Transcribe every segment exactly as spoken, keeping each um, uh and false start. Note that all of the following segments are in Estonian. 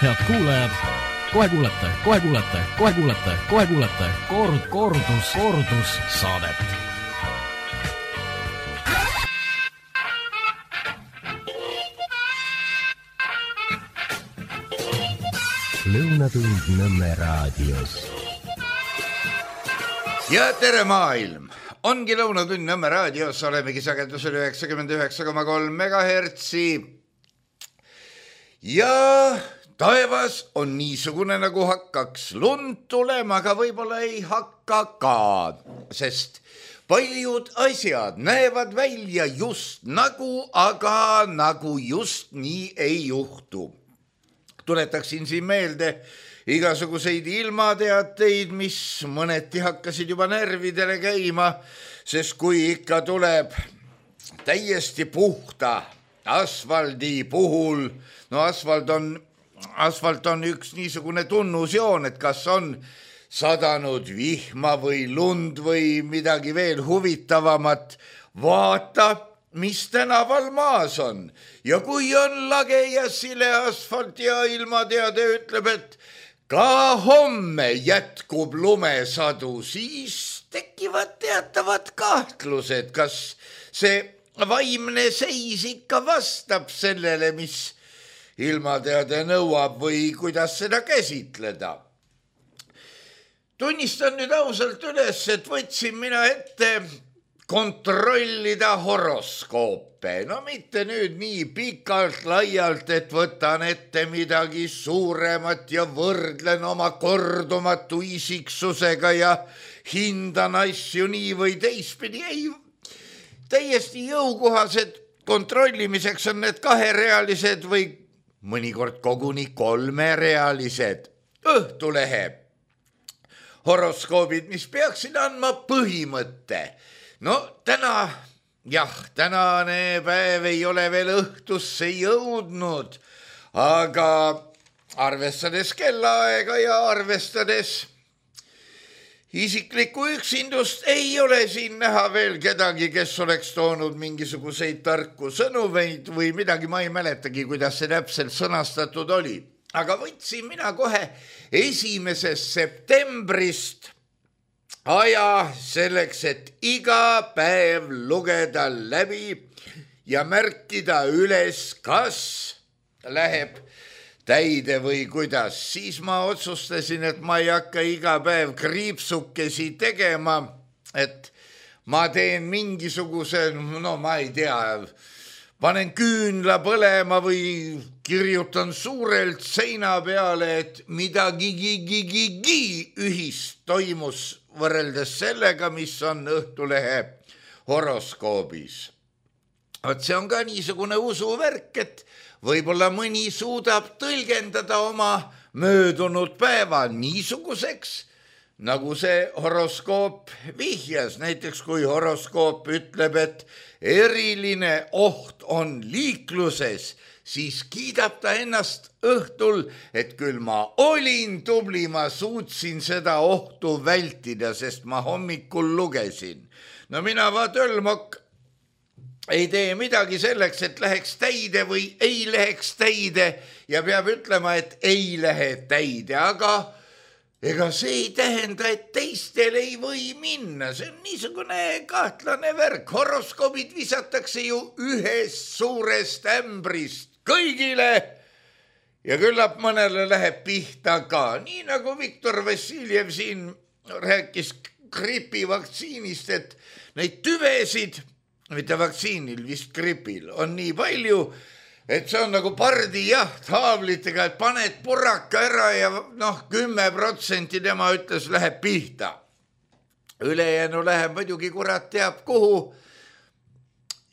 Head kuulajad, kohe kuulete, kohe kuulete, kohe kuulete, kohe kuulete kord, kordus, kordus saadet. Lõunatund Nõmme raadios. Ja tere maailm! Ongi Lõunatund Nõmme raadios, olemegi sagedusel üheksakümmend üheksa koma kolm megahertsi. Ja taevas on niisugune nagu hakkaks lund tulema, aga võib-olla ei hakka ka, sest paljud asjad näevad välja just nagu, aga nagu just nii ei juhtu. Tuletaksin siin meelde igasuguseid ilmateateid, mis mõneti hakkasid juba närvidele käima, sest kui ikka tuleb täiesti puhta asfaldi puhul, no asfalt on, asfalt on üks niisugune tunnusjoon, et kas on sadanud vihma või lund või midagi veel huvitavamat, vaata, mis tänaval maas on. Ja kui on lage ja sile asfalt ja ilmateade ütleb, et ka homme jätkub lumesadu, siis tekivad teatavad kahtlused, kas see vaimne seis ikka vastab sellele, mis ilmateade nõuab või kuidas seda käsitleda. Tunnistan nüüd ausalt üles, et võtsin mina ette kontrollida horoskoope. No mitte nüüd nii pikalt laialt, et võtan ette midagi suuremat ja võrdlen oma kordumatu isiksusega ja hindan asju nii või teistpidi. Ei, täiesti jõukohased kontrollimiseks on need kaherealised või mõnikord koguni kolmerealised Õhtulehe horoskoobid, mis peaksid andma põhimõtte. No täna, jah, tänane päev ei ole veel õhtusse jõudnud, aga arvestades kellaaega ja arvestades isiklikku üksindust ei ole siin näha veel kedagi, kes oleks toonud mingisuguseid tarku sõnumeid või midagi, ma ei mäletagi, kuidas see täpselt sõnastatud oli. Aga võtsin mina kohe esimesest septembrist aja selleks, et iga päev lugeda läbi ja märkida üles, kas läheb täide või kuidas. Siis ma otsustasin, et ma ei hakka iga päev kriipsukesi tegema, et ma teen mingisuguse, no ma ei tea, panen küünla põlema või kirjutan suurelt seina peale, et midagi gigi ühist toimus võrreldes sellega, mis on Õhtulehe horoskoobis. Vot see on ka niisugune usuvärk, et võib-olla mõni suudab tõlgendada oma möödunud päeva niisuguseks, nagu see horoskoop vihjas. Näiteks kui horoskoop ütleb, et eriline oht on liikluses, siis kiidab ta ennast õhtul, et küll ma olin tubli, ma suutsin seda ohtu vältida, sest ma hommikul lugesin. No mina vaatölmok ei tee midagi selleks, et läheks täide või ei läheks täide ja peab ütlema, et ei lähe täide, aga ega see ei tähenda, et teistel ei või minna. See on niisugune kahtlane värk. Horoskoobid visatakse ju ühest suurest ämbrist kõigile ja küllap mõnele läheb pihta ka. Nii nagu Viktor Vassiljev siin rääkis gripivaktsiinist, et neid tüvesid, mitte vaktsiinil, vist gripil, on nii palju, et see on nagu pardijaht haavlitega, et paned purraka ära ja noh, kümme protsenti tema ütles läheb pihta. Ülejäänu läheb muidugi kurat teab kuhu.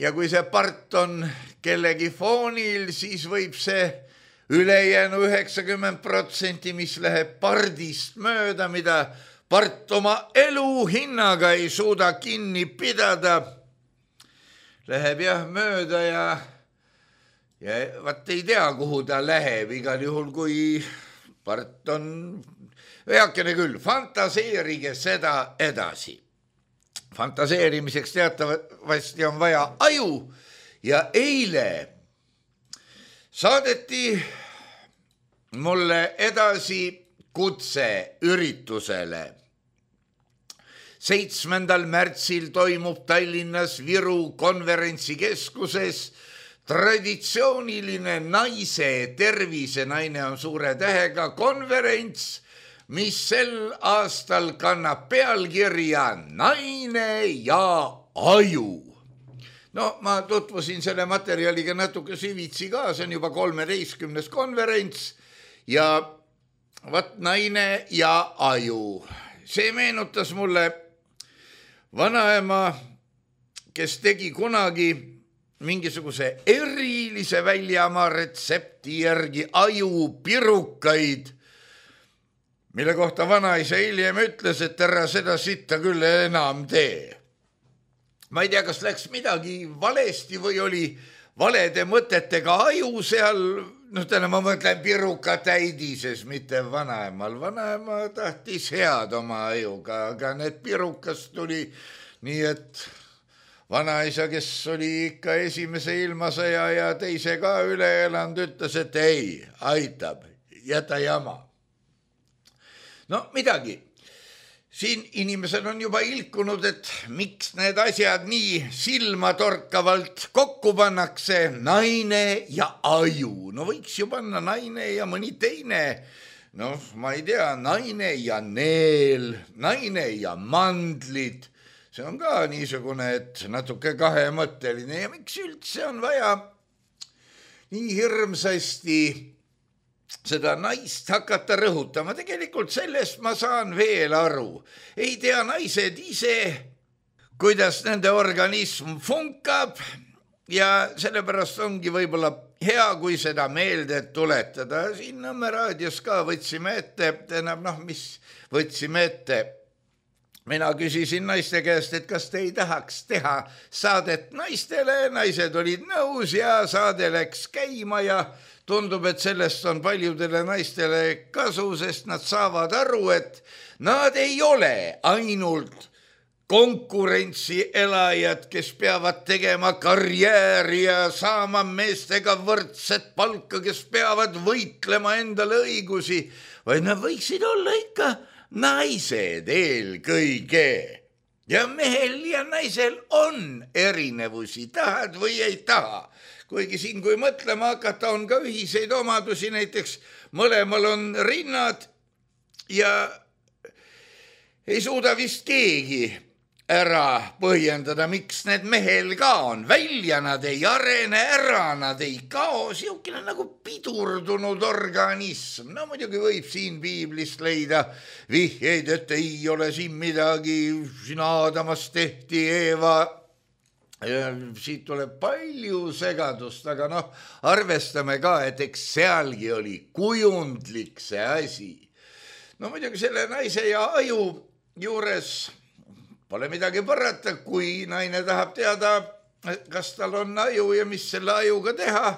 Ja kui see part on kellegi foonil, siis võib see ülejäänu üheksakümmend protsenti, mis läheb pardist mööda, mida part oma elu hinnaga ei suuda kinni pidada, läheb jah mööda ja, ja vaat ei tea, kuhu ta läheb. Igal juhul, kui part on veakene küll, fantaseerige seda edasi. Fantaseerimiseks teatavasti on vaja aju ja eile saadeti mulle edasi kutse üritusele. seitsmendal märtsil toimub Tallinnas Viru konverentsikeskuses traditsiooniline naise tervise, naine on suure tähega, konverents, mis sel aastal kannab pealkirja Naine ja aju. No ma tutvusin selle materjaliga natuke süvitsi ka, see on juba kolmeteistkümnes konverents ja vat naine ja aju. See meenutas mulle vanaema, kes tegi kunagi mingisuguse erilise väljamaa retsepti järgi ajupirukaid, mille kohta vanaisa hiljem ütles, et ära seda sitta küll enam tee. Ma ei tea, kas läks midagi valesti või oli valede mõtetega aju seal, noh täna ma mõtlen piruka täidises, mitte vanaemal. Vanaema tahtis head oma ajuga, aga need pirukas tuli nii, et vanaisa, kes oli ikka esimese ilmasõja ja teise ka üle elanud, ütles, et ei, aitab, jäta jama. No midagi. Siin inimesel on juba ilkunud, et miks need asjad nii silmatorkavalt kokku pannakse, naine ja aju. No võiks ju panna naine ja mõni teine. Noh, ma ei tea, naine ja neel, naine ja mandlid. See on ka niisugune, et natuke kahemõtteline ja miks üldse on vaja nii hirmsasti seda naist hakata rõhutama. Tegelikult sellest ma saan veel aru. Ei tea naised ise, kuidas nende organism funkab ja sellepärast ongi võib-olla hea, kui seda meelde tuletada. Siin Nõmme raadios ka võtsime ette, tähendab, noh, mis võtsime ette. Mina küsisin naiste käest, et kas te ei tahaks teha saadet naistele. Naised olid nõus ja saade läks käima ja tundub, et sellest on paljudele naistele kasu, sest nad saavad aru, et nad ei ole ainult konkurentsi elajad, kes peavad tegema karjääri ja saama meestega võrdset palka, kes peavad võitlema endale õigusi, vaid nad võiksid olla ikka naised eelkõige. Ja mehel ja naisel on erinevusi, tahad või ei taha. Kuigi siin, kui mõtlema hakata, on ka ühiseid omadusi, näiteks mõlemal on rinnad ja ei suuda vist keegi ära põhjendada, miks need mehel ka on. Välja nad ei arene, ära nad ei kao, siukene nagu pidurdunud organism. No muidugi võib siin piiblist leida vihjeid, et ei ole siin midagi, siin Aadamast tehti Eeva. Ja siit tuleb palju segadust, aga noh, arvestame ka, et eks sealgi oli kujundlik see asi. No muidugi selle naise ja aju juures pole midagi parata, kui naine tahab teada, kas tal on aju ja mis selle ajuga teha.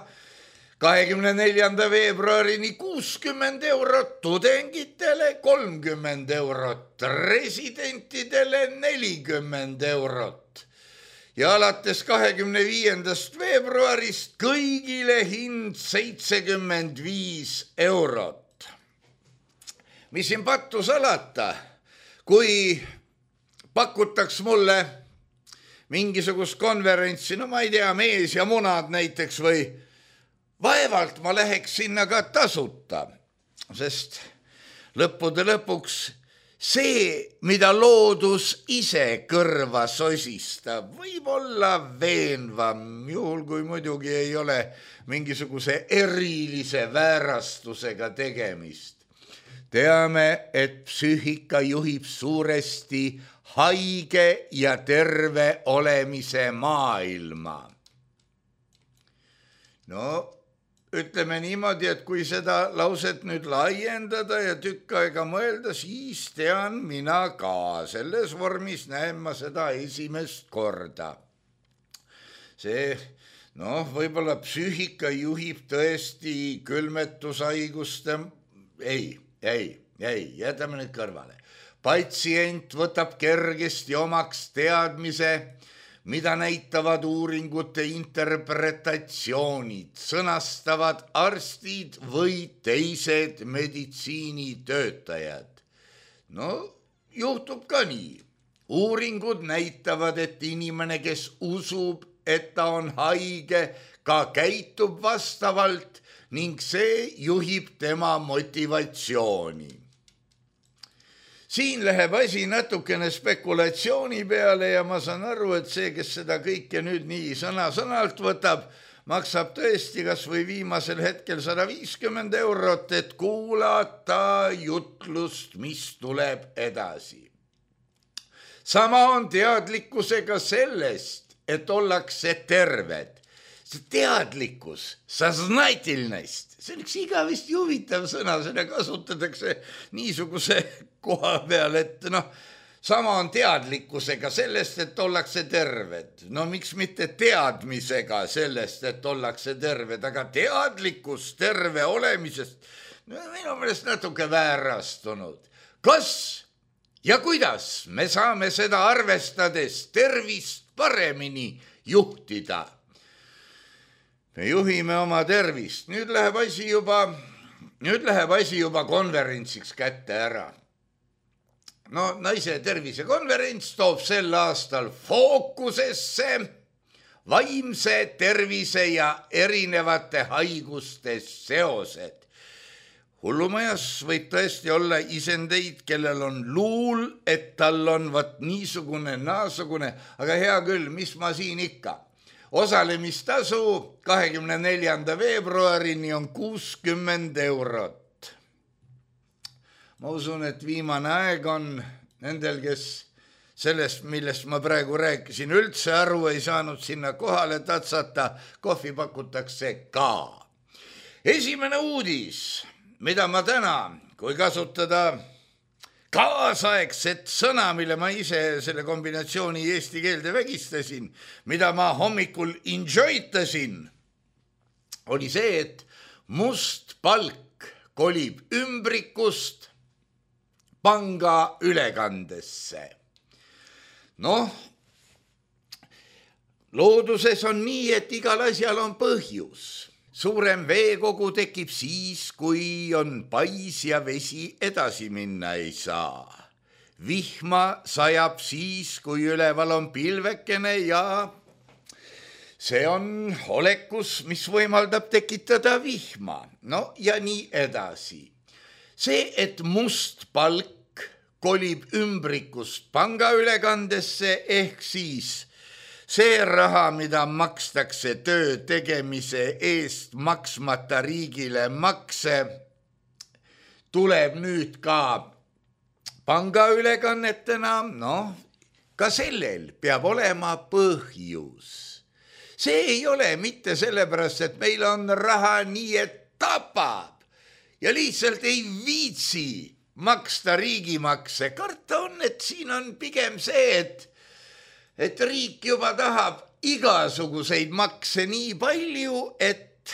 kahekümne neljanda veebruarini kuuskümmend eurot tudengitele, kolmkümmend eurot residentidele, nelikümmend eurot. Ja alates kahekümne viiendast veebruarist kõigile hind seitsekümmend viis eurot. Mis siin pattu salata, kui pakutaks mulle mingisugust konverentsi, no ma ei tea, mees ja munad näiteks või vaevalt ma läheks sinna ka tasuta, sest lõppude lõpuks see, mida loodus ise kõrva sosistab, võib olla veenvam, juhul kui muidugi ei ole mingisuguse erilise väärastusega tegemist. Teame, et psüühika juhib suuresti haige ja terve olemise maailma. No, ütleme niimoodi, et kui seda lauset nüüd laiendada ja tükk aega mõelda, siis tean mina ka. Selles vormis näen ma seda esimest korda. See, noh, võib-olla psüühika juhib tõesti külmetushaiguste, ei, ei, ei, jätame nüüd kõrvale. Patsient võtab kergesti omaks teadmise, mida näitavad uuringute interpretatsioonid, sõnastavad arstid või teised meditsiinitöötajad. No juhtub ka nii. Uuringud näitavad, et inimene, kes usub, et ta on haige, ka käitub vastavalt ning see juhib tema motivatsiooni. Siin läheb asi natukene spekulatsiooni peale ja ma saan aru, et see, kes seda kõike nüüd nii sõna-sõnalt võtab, maksab tõesti kas või viimasel hetkel sada viiskümmend eurot, et kuulata jutlust, mis tuleb edasi. Sama on teadlikkusega sellest, et ollakse terved. See teadlikkus, saznatelnost, see on üks igavesti huvitav sõna, seda kasutatakse niisuguse koha peal, et noh, sama on teadlikkusega sellest, et ollakse terved. No miks mitte teadmisega sellest, et ollakse terved, aga teadlikkus terve olemisest, no minu meelest natuke väärastunud. Kas ja kuidas me saame seda arvestades tervist paremini juhtida? Me juhime oma tervist. Nüüd läheb asi juba, nüüd läheb asi juba konverentsiks kätte ära. No naise tervisekonverents toob sel aastal fookusesse vaimse tervise ja erinevate haiguste seosed. Hullumajas võib tõesti olla isendeid, kellel on luul, et tal on vat niisugune, naasugune, aga hea küll, mis ma siin ikka. Osalemistasu kahekümne neljanda veebruarini on kuuskümmend eurot. Ma usun, et viimane aeg on nendel, kes sellest, millest ma praegu rääkisin, üldse aru ei saanud sinna kohale tatsata, kohvi pakutakse ka. Esimene uudis, mida ma täna, kui kasutada kaasaegset sõna, mille ma ise selle kombinatsiooni eesti keelde vägistasin, mida ma hommikul enjoytasin, oli see, et must palk kolib ümbrikust panga ülekandesse. Noh, looduses on nii, et igal asjal on põhjus. Suurem veekogu tekib siis, kui on pais ja vesi edasi minna ei saa. Vihma sajab siis, kui üleval on pilvekene ja see on olekus, mis võimaldab tekitada vihma. No ja nii edasi. See, et must palk kolib ümbrikust pangaülekandesse ehk siis see raha, mida makstakse töö tegemise eest maksmata riigile makse, tuleb nüüd ka pangaülekannetena, noh, ka sellel peab olema põhjus. See ei ole mitte sellepärast, et meil on raha nii, et tapab ja lihtsalt ei viitsi maksta riigimakse. Karta on, et siin on pigem see, et et riik juba tahab igasuguseid makse nii palju, et,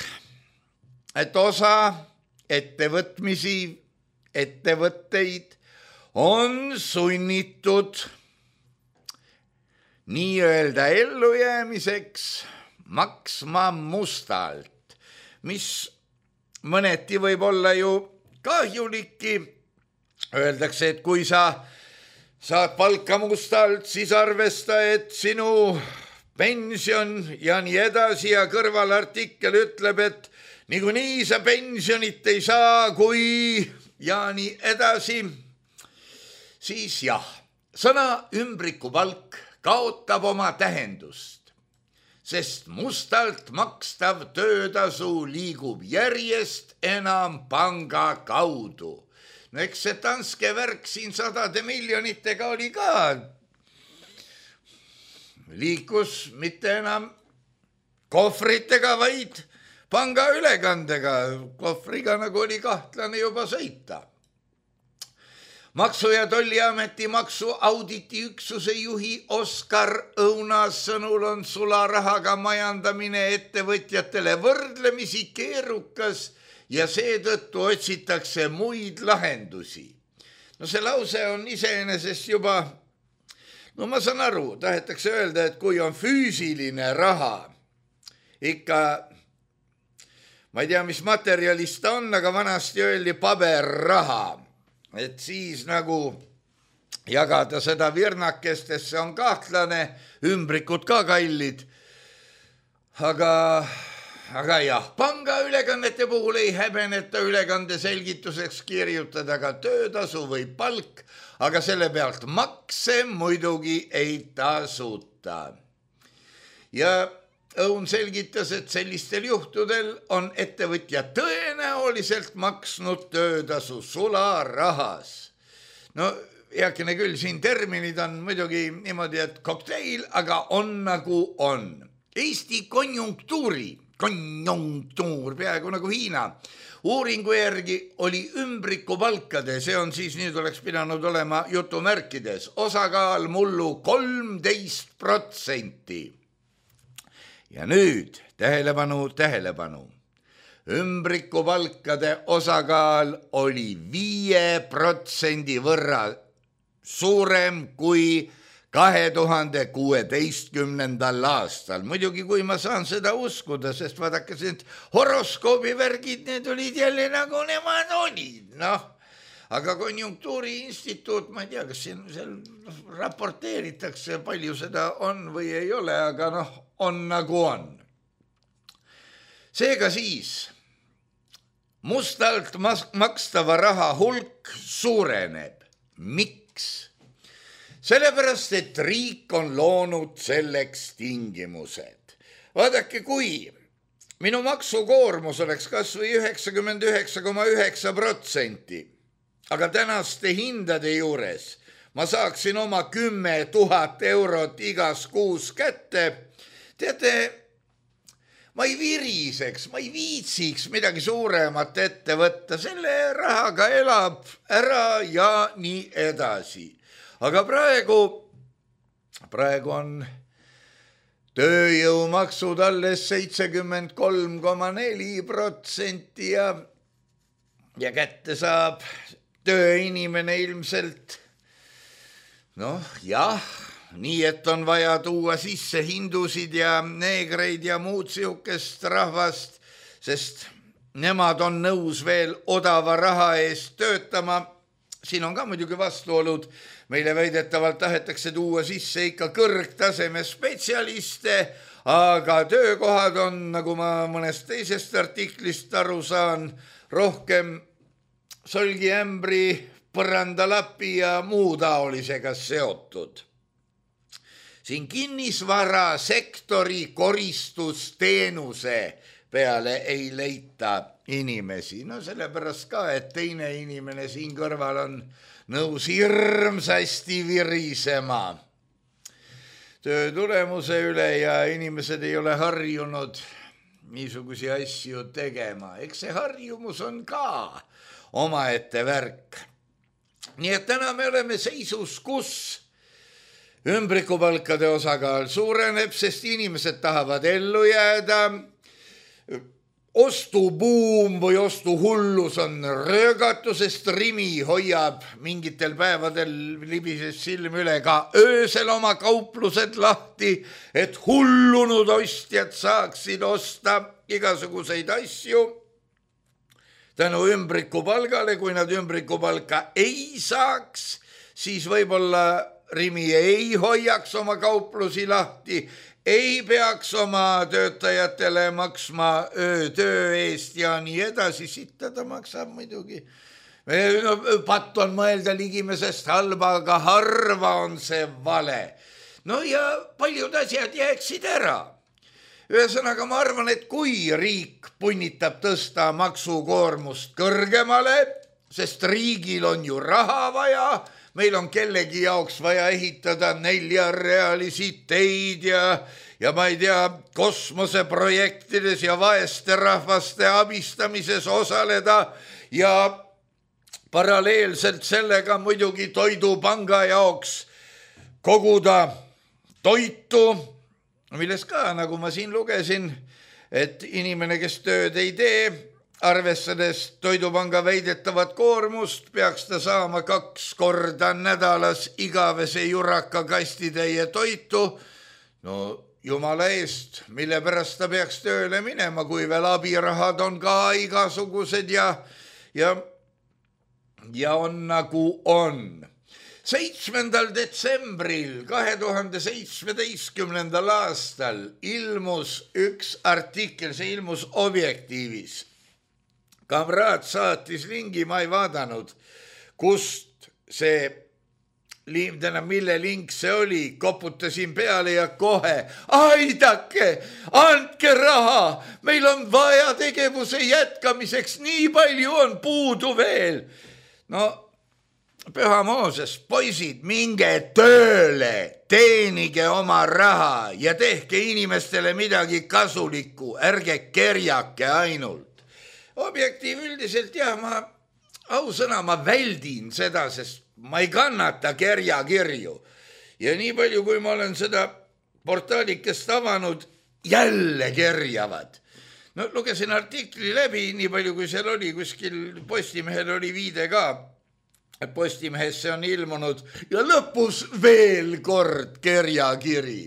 et osa ettevõtmisi, ettevõtteid on sunnitud nii-öelda ellujäämiseks maksma mustalt, mis mõneti võib olla ju kahjuliki. Öeldakse, et kui sa saad palka mustalt, siis arvesta, et sinu pension ja nii edasi ja kõrvalartikkel ütleb, et niikuinii sa pensionit ei saa, kui ja nii edasi. Siis jah, sõna ümbrikupalk kaotab oma tähendust, sest mustalt makstav töötasu liigub järjest enam panga kaudu. No eks see Danske värk siin sadade miljonitega oli ka. Liikus mitte enam kohvritega, vaid panga ülekandega. Kohvriga nagu oli kahtlane juba sõita. Maksu- ja Tolliameti maksuauditi üksuse juhi Oskar Õunas sõnul on sularahaga majandamine ettevõtjatele võrdlemisi keerukas ja seetõttu otsitakse muid lahendusi. No see lause on iseenesest juba no ma saan aru, tahetakse öelda, et kui on füüsiline raha, ikka, ma ei tea, mis materjalist ta on, aga vanasti öeldi paberraha, et siis nagu jagada seda virnakestesse on kahtlane, ümbrikud ka kallid, aga, aga jah, pangaülekannete puhul ei häbeneta ülekande selgituseks kirjutada ka töötasu või palk, aga selle pealt makse muidugi ei tasuta. Ja Õun selgitas, et sellistel juhtudel on ettevõtja tõenäoliselt maksnud töötasu sularahas. No heakene küll, siin terminid on muidugi niimoodi, et kokteil, aga on nagu on. Eesti konjunktuuri, konjunktuur, peaaegu nagu Hiina, uuringu järgi oli ümbrikupalkade, see on siis, nüüd oleks pidanud olema jutumärkides, osakaal mullu kolmteist protsenti. Ja nüüd, tähelepanu, tähelepanu, ümbrikupalkade osakaal oli viie protsendi võrra suurem kui kahe tuhande kuueteistkümnendal aastal. Muidugi, kui ma saan seda uskuda, sest vaadake, need horoskoobivärgid, need olid jälle nagu nemad olid, noh. Aga konjunktuuriinstituut, ma ei tea, kas siin seal raporteeritakse, palju seda on või ei ole, aga noh, on nagu on. Seega siis mustalt makstava raha hulk suureneb. Miks? Sellepärast, et riik on loonud selleks tingimused. Vaadake, kui minu maksukoormus oleks kas või üheksakümmend üheksa koma üheksa protsenti, aga tänaste hindade juures ma saaksin oma kümme tuhat eurot igas kuus kätte, teate, ma ei viriseks, ma ei viitsiks midagi suuremat ette võtta, selle rahaga elab ära ja nii edasi. Aga praegu, praegu on tööjõumaksud alles seitsekümmend kolm koma neli protsenti ja, ja kätte saab tööinimene ilmselt, noh jah, nii et on vaja tuua sisse hindusid ja neegreid ja muud siukest rahvast, sest nemad on nõus veel odava raha eest töötama. Siin on ka muidugi vastuolud, meile väidetavalt tahetakse tuua sisse ikka kõrgtaseme spetsialiste, aga töökohad on, nagu ma mõnest teisest artiklist aru saan, rohkem solgiämbri, põrandalapi ja muu taolisega seotud. Siin kinnisvarasektori koristusteenuse peale ei leita inimesi. No sellepärast ka, et teine inimene siin kõrval on nõus hirmsasti virisema töö tulemuse üle ja inimesed ei ole harjunud niisugusi asju tegema. Eks see harjumus on ka omaette värk. Nii et täna me oleme seisus, kus ümbrikupalkade osakaal suureneb, sest inimesed tahavad ellu jääda. Ostubuum või ostuhullus on röögatu, sest Rimi hoiab mingitel päevadel libises silm üle ka öösel oma kauplused lahti, et hullunud ostjad saaksid osta igasuguseid asju tänu ümbrikupalgale. Kui nad ümbrikupalka ei saaks, siis võib-olla Rimi ei hoiaks oma kauplusi lahti, ei peaks oma töötajatele maksma öötöö eest ja nii edasi. Sitta ta maksab muidugi. No, patt on mõelda ligimesest halba, aga harva on see vale. No ja paljud asjad jääksid ära. Ühesõnaga, ma arvan, et kui riik punnitab tõsta maksukoormust kõrgemale, sest riigil on ju raha vaja, meil on kellegi jaoks vaja ehitada neljarealisi teid ja, ja ma ei tea, kosmoseprojektides ja vaeste rahvaste abistamises osaleda ja paralleelselt sellega muidugi toidupanga jaoks koguda toitu, milles ka, nagu ma siin lugesin, et inimene, kes tööd ei tee, arvestades Toidupanga väidetavat koormust, peaks ta saama kaks korda nädalas igavese juraka kastitäie toitu. No jumala eest, mille pärast ta peaks tööle minema, kui veel abirahad on ka igasugused ja, ja, ja on nagu on. seitsmendal detsembril kahe tuhande seitsmeteistkümnendal aastal ilmus üks artikkel, see ilmus Objektiivis. Kamraad saatis lingi, ma ei vaadanud, kust see täna, mille link see oli, koputasin peale ja kohe, aidake, andke raha, meil on vaja tegevuse jätkamiseks, nii palju on puudu veel. No, Püha Mooses, poisid, minge tööle, teenige oma raha ja tehke inimestele midagi kasulikku, ärge kerjake ainult. Objektiiv üldiselt, jah, ma ausõna, ma väldin seda, sest ma ei kannata kerjakirju. Ja nii palju, kui ma olen seda portaalikest avanud, jälle kerjavad. No lugesin artikli läbi, nii palju kui seal oli, kuskil Postimehel oli viide ka. Postimehesse on ilmunud ja lõpus veel kord kerjakiri.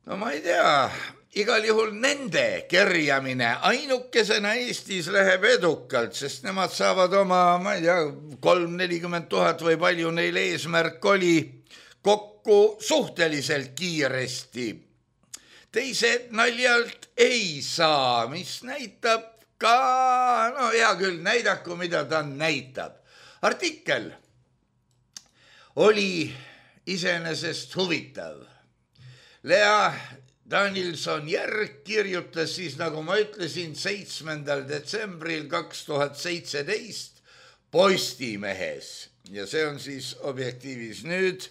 No ma ei tea, igal juhul nende kerjamine ainukesena Eestis läheb edukalt, sest nemad saavad oma, ma ei tea, kolm nelikümmend tuhat või palju neil eesmärk oli kokku suhteliselt kiiresti. Teised naljalt ei saa, mis näitab ka, no hea küll, näidaku, mida ta näitab. Artikkel oli iseenesest huvitav. Lea Danilson-Järg kirjutas siis, nagu ma ütlesin, seitsmendal detsembril kaks tuhat seitseteist Postimehes. Ja see on siis Objektiivis nüüd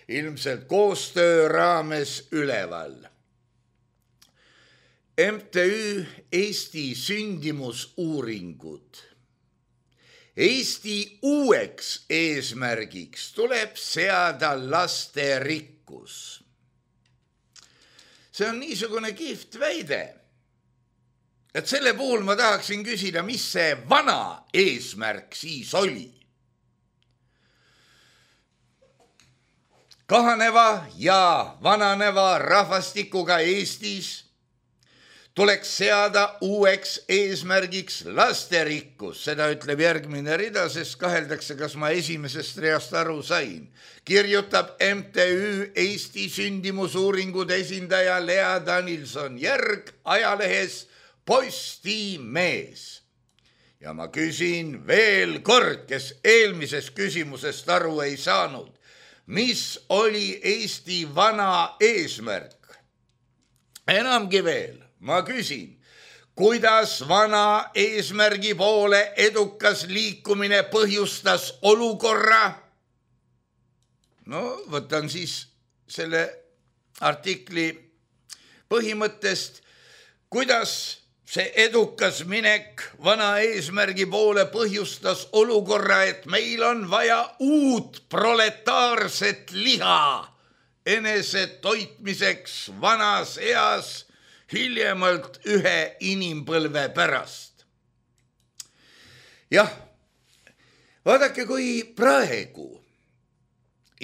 ilmselt koostöö raames üleval. M T Ü Eesti sündimusuuringud. Eesti uueks eesmärgiks tuleb seada lasterikkus. See on niisugune kihvt väide, et selle puhul ma tahaksin küsida, mis see vana eesmärk siis oli. Kahaneva ja vananeva rahvastikuga Eestis tuleks seada uueks eesmärgiks lasterikkus. Seda ütleb järgmine rida, sest kaheldakse, kas ma esimesest reast aru sain. Kirjutab M T Ü Eesti sündimusuuringude esindaja Lea Danilson-Järg ajalehes Postimees. Ja ma küsin veel kord, kes eelmisest küsimusest aru ei saanud. Mis oli Eesti vana eesmärk? Enamgi veel. Ma küsin, kuidas vana eesmärgi poole edukas liikumine põhjustas olukorra? No, võtan siis selle artikli põhimõttest, kuidas see edukas minek vana eesmärgi poole põhjustas olukorra, et meil on vaja uut proletaarset liha enese toitmiseks vanas eas hiljemalt ühe inimpõlve pärast. Jah, vaadake, kui praegu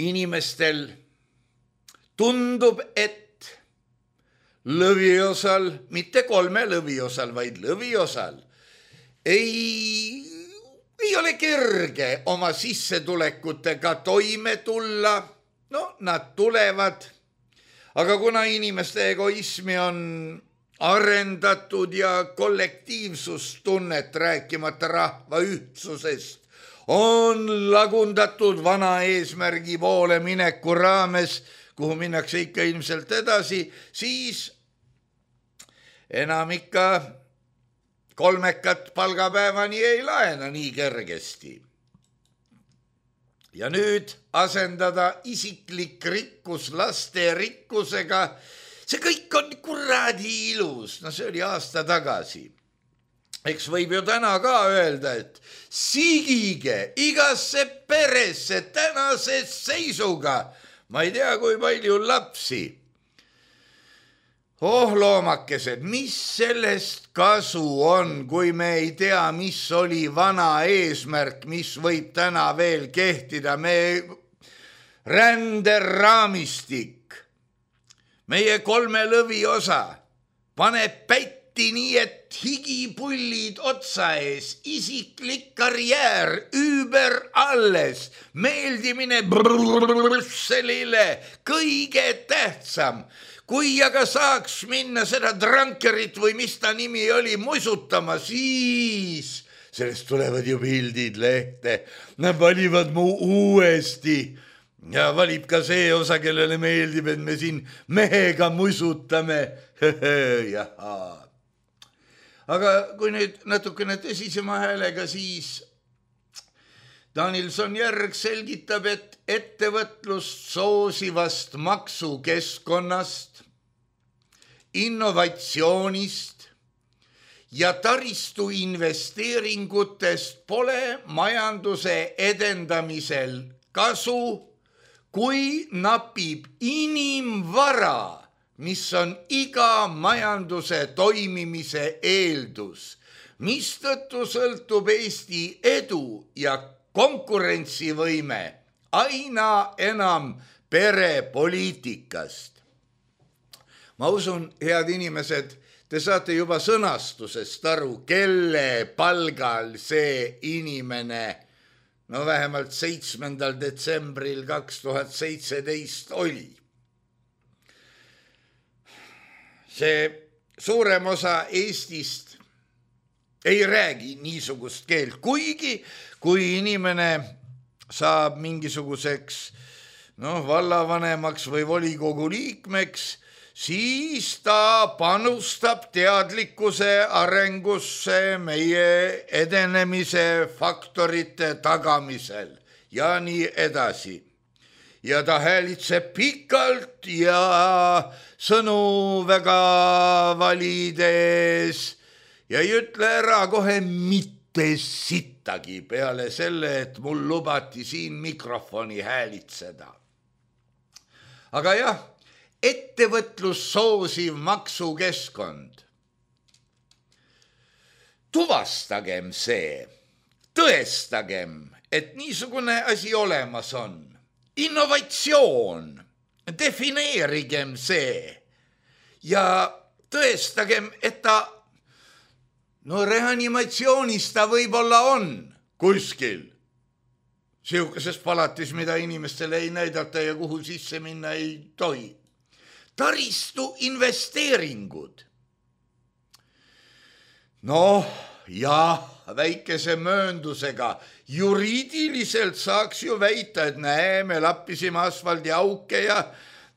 inimestel tundub, et lõviosal, mitte kolme lõviosal, vaid lõviosal, ei, ei ole kerge oma sissetulekutega toime tulla. No, nad tulevad. Aga kuna inimeste egoismi on arendatud ja kollektiivsustunnet, rääkimata rahva ühtsusest, on lagundatud vana eesmärgi poole mineku raames, kuhu minnakse ikka ilmselt edasi, siis enam ikka kolmekat palgapäevani ei laena nii kergesti. Ja nüüd asendada isiklik rikkus laste rikkusega, see kõik on kuradi ilus. No see oli aasta tagasi. Eks võib ju täna ka öelda, et sigige igasse peresse tänase seisuga. Ma ei tea, kui palju lapsi. oh loomakesed, mis sellest kasu on, kui me ei tea, mis oli vana eesmärk, mis võib täna veel kehtida, me ränderaamistik, meie kolme lõvi osa paneb pätti nii, et higipullid otsa ees, isiklik karjäär, üüber alles, meeldimine Brüsselile, kõige tähtsam. Kui aga saaks minna seda Drunkerit või mis ta nimi oli musutama, siis sellest tulevad ju pildid lehte. Nad valivad mu uuesti ja valib ka see osa, kellele meeldib, et me siin mehega musutame. Jaha. Aga kui nüüd natukene tõsisema häälega, siis Danilson Järg selgitab, et ettevõtlust soosivast maksukeskkonnast, innovatsioonist ja taristu investeeringutest pole majanduse edendamisel kasu, kui napib inimvara, mis on iga majanduse toimimise eeldus, mistõttu sõltub Eesti edu ja konkurentsivõime aina enam perepoliitikast. Ma usun, head inimesed, te saate juba sõnastusest aru, kelle palgal see inimene, no vähemalt seitsmendal detsembril kaks tuhat seitseteist oli. See suurem osa Eestist ei räägi niisugust keelt, kuigi kui inimene saab mingisuguseks no, vallavanemaks või volikogu liikmeks, siis ta panustab teadlikkuse arengusse meie edenemise faktorite tagamisel ja nii edasi. Ja ta häälitseb pikalt ja sõnu väga valides ja ei ütle ära kohe mitte sittagi peale selle, et mul lubati siin mikrofoni häälitseda. Aga jah, ettevõtlus soosiv maksukeskkond. Tuvastagem see, tõestagem, et niisugune asi olemas on. Innovatsioon, defineerigem see ja tõestagem, et ta no reanimatsioonis ta võib-olla on kuskil. Siukeses palatis, mida inimestele ei näidata ja kuhu sisse minna ei tohi. Taristu investeeringud. Noh, jah, väikese mööndusega. Juriidiliselt saaks ju väita, et näe, me lappisime asfaldi auke ja,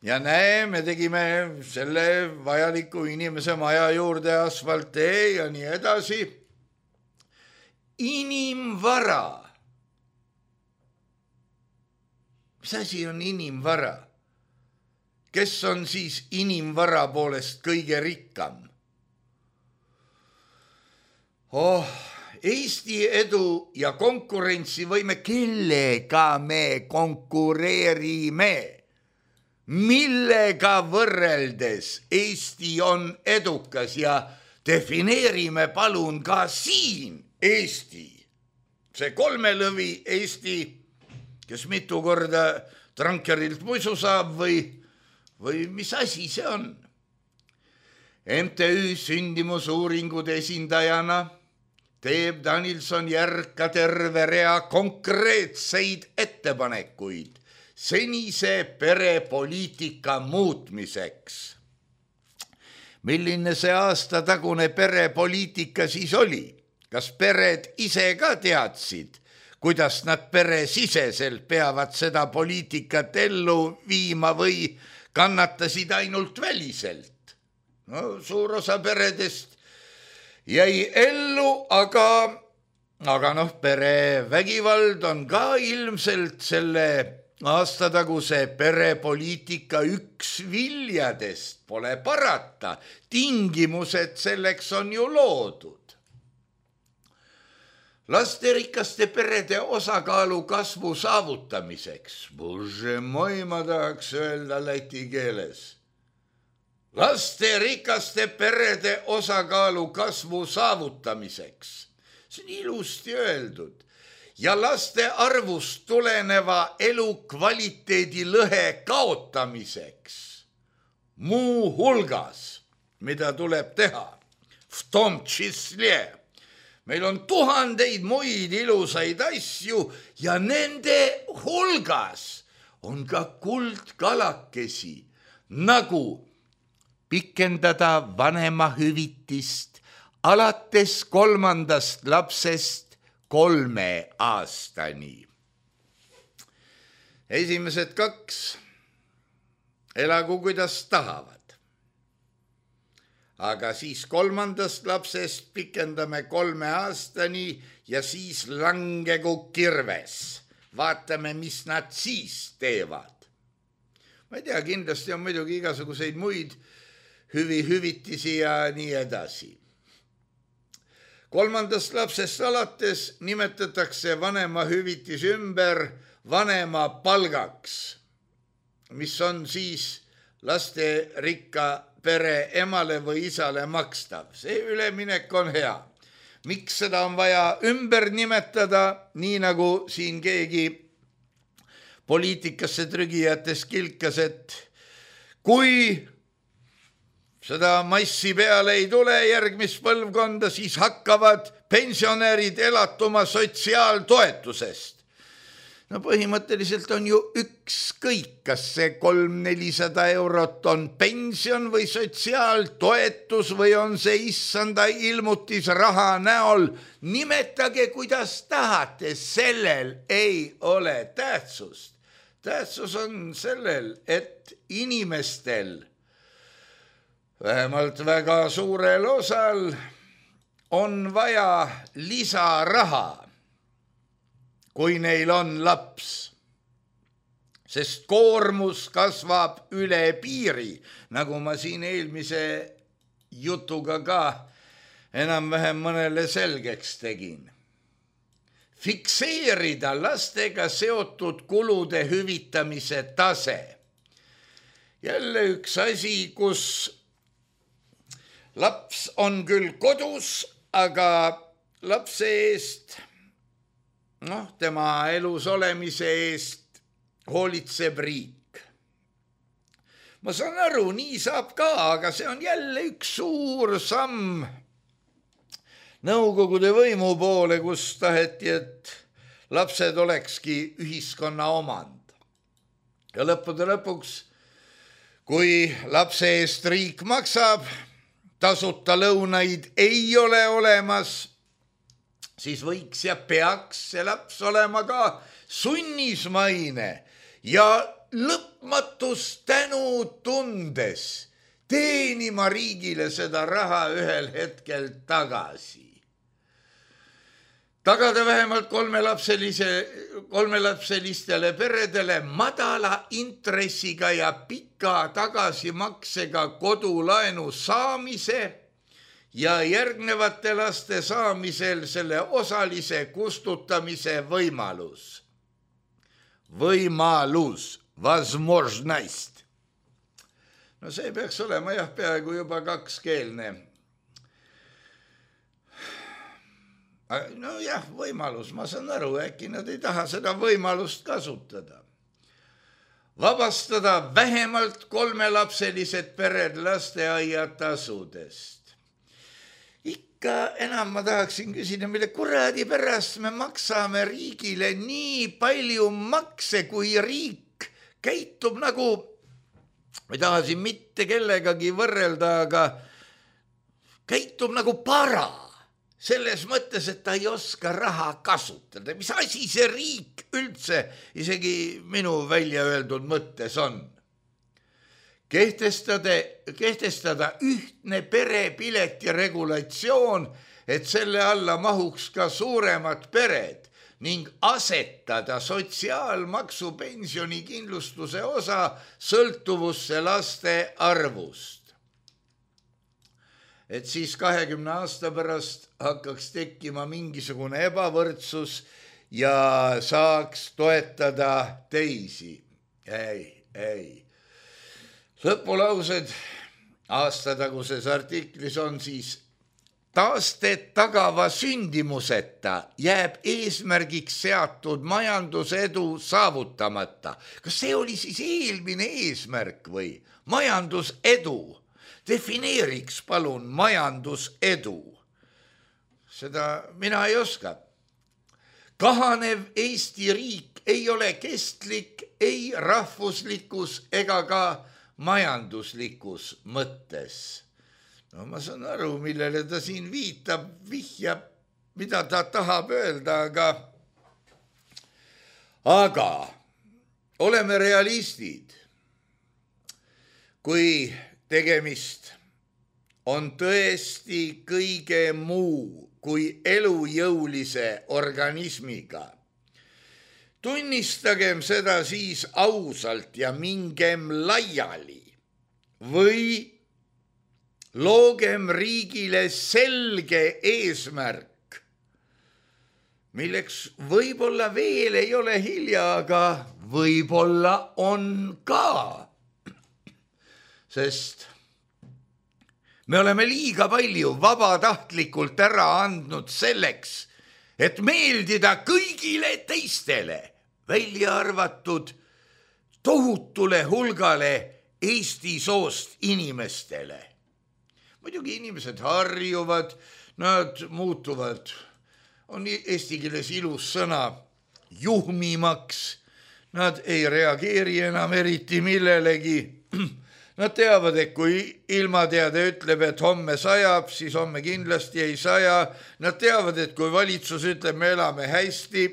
ja näe, me tegime selle vajaliku inimese maja juurde asfaltee ja nii edasi. Inimvara. Mis asi on inimvara? Kes on siis inimvara poolest kõige rikkam? Oh, Eesti edu ja konkurentsivõime, kellega me konkureerime, millega võrreldes Eesti on edukas ja defineerime palun ka siin Eesti. See kolmelõvi Eesti, kes mitu korda Drunkerilt muisu saab või, või mis asi see on? M T Ü sündimusuuringud esindajana teeb Danilson Järg ka terve rea konkreetseid ettepanekuid senise perepoliitika muutmiseks. Milline see aasta tagune perepoliitika siis oli? Kas pered ise ka teadsid, kuidas nad peresiseselt peavad seda poliitikat ellu viima või kannatasid ainult väliselt? No, suur osa peredest jäi ellu, aga, aga noh, perevägivald on ka ilmselt selle aastataguse perepoliitika üks viljadest, pole parata. Tingimused selleks on ju loodud. Lasterikaste perede osakaalu kasvu saavutamiseks, bože moi, ma tahaks öelda läti keeles. lasterikaste perede osakaalu kasvu saavutamiseks. See on ilusti öeldud. Ja laste arvust tuleneva elukvaliteedi lõhe kaotamiseks. Muu hulgas, mida tuleb teha, v tom čísle. Meil on tuhandeid muid ilusaid asju ja nende hulgas on ka kuldkalakesi, nagu pikendada vanemahüvitist alates kolmandast lapsest kolme aastani. Esimesed kaks elagu kuidas tahavad. Aga siis kolmandast lapsest pikendame kolme aastani ja siis langegu kirves. Vaatame, mis nad siis teevad. Ma ei tea, kindlasti on muidugi igasuguseid muid hüvi hüvitisi ja nii edasi. Kolmandast lapsest alates nimetatakse vanema hüvitis ümber vanema palgaks, mis on siis lasterikka pere emale või isale makstav. See üleminek on hea. Miks seda on vaja ümber nimetada, nii nagu siin keegi poliitikasse trügijates kilkas, et kui seda massi peale ei tule järgmist põlvkonda, siis hakkavad pensionärid elatuma sotsiaaltoetusest. No põhimõtteliselt on ju ükskõik, kas see kolm nelisada eurot on pension või sotsiaaltoetus või on see issanda ilmutis raha näol. Nimetage, kuidas tahate, sellel ei ole tähtsust. Tähtsus on sellel, et inimestel vähemalt väga suurel osal on vaja lisaraha, kui neil on laps, sest koormus kasvab üle piiri, nagu ma siin eelmise jutuga ka enam-vähem mõnele selgeks tegin. Fikseerida lastega seotud kulude hüvitamise tase. Jälle üks asi, kus laps on küll kodus, aga lapse eest, noh, tema elus olemise eest hoolitseb riik. Ma saan aru, nii saab ka, aga see on jälle üks suur samm nõukogude võimu poole, kus taheti, et lapsed olekski ühiskonna omand. Ja lõppude lõpuks, kui lapse eest riik maksab, tasuta lõunaid ei ole olemas, siis võiks ja peaks see laps olema ka sunnismaine ja lõpmatus tänu tundes teenima riigile seda raha ühel hetkel tagasi. Tagada vähemalt kolmelapselise, kolmelapselistele peredele madala intressiga ja pika tagasimaksega kodulaenu saamise ja järgnevate laste saamisel selle osalise kustutamise võimalus. Võimalus, возможность. No see peaks olema jah, peaaegu juba kakskeelne. No jah, võimalus, ma saan aru, äkki nad ei taha seda võimalust kasutada. Vabastada vähemalt kolmelapselised pered lasteaiatasudest. Ikka enam ma tahaksin küsida, mille kuradi pärast me maksame riigile nii palju makse, kui riik käitub nagu, ma ei taha siin mitte kellegagi võrrelda, aga käitub nagu para. Selles mõttes, et ta ei oska raha kasutada. Mis asi see riik üldse isegi minu välja öeldud mõttes on? Kehtestada, kehtestada ühtne perepileti regulatsioon, et selle alla mahuks ka suuremad pered ning asetada sotsiaalmaksu pensioni kindlustuse osa sõltuvusse laste arvust. Et siis kahekümne aasta pärast hakkaks tekkima mingisugune ebavõrdsus ja saaks toetada teisi. Ei, ei. Lõpulaused aastataguses artiklis on siis taastet tagava sündimuseta jääb eesmärgiks seatud majandusedu saavutamata. Kas see oli siis eelmine eesmärk või? Majandusedu. Defineeriks palun majandusedu. Seda mina ei oska. Kahanev Eesti riik ei ole kestlik ei rahvuslikus ega ka majanduslikus mõttes. No ma saan aru, millele ta siin viitab, vihjab, mida ta tahab öelda, aga, aga oleme realistid. Kui tegemist on tõesti kõige muu kui elujõulise organismiga, tunnistagem seda siis ausalt ja mingem laiali või loogem riigile selge eesmärk, milleks võib-olla veel ei ole hilja, aga võib-olla on ka. Sest me oleme liiga palju vabatahtlikult ära andnud selleks, et meeldida kõigile teistele, välja arvatud tohutule hulgale Eesti soost inimestele. Muidugi inimesed harjuvad, nad muutuvad, on eesti keeles ilus sõna, juhmimaks, nad ei reageeri enam eriti millelegi. Nad teavad, et kui ilmateade ütleb, et homme sajab, siis homme kindlasti ei saja. Nad teavad, et kui valitsus ütleb, me elame hästi,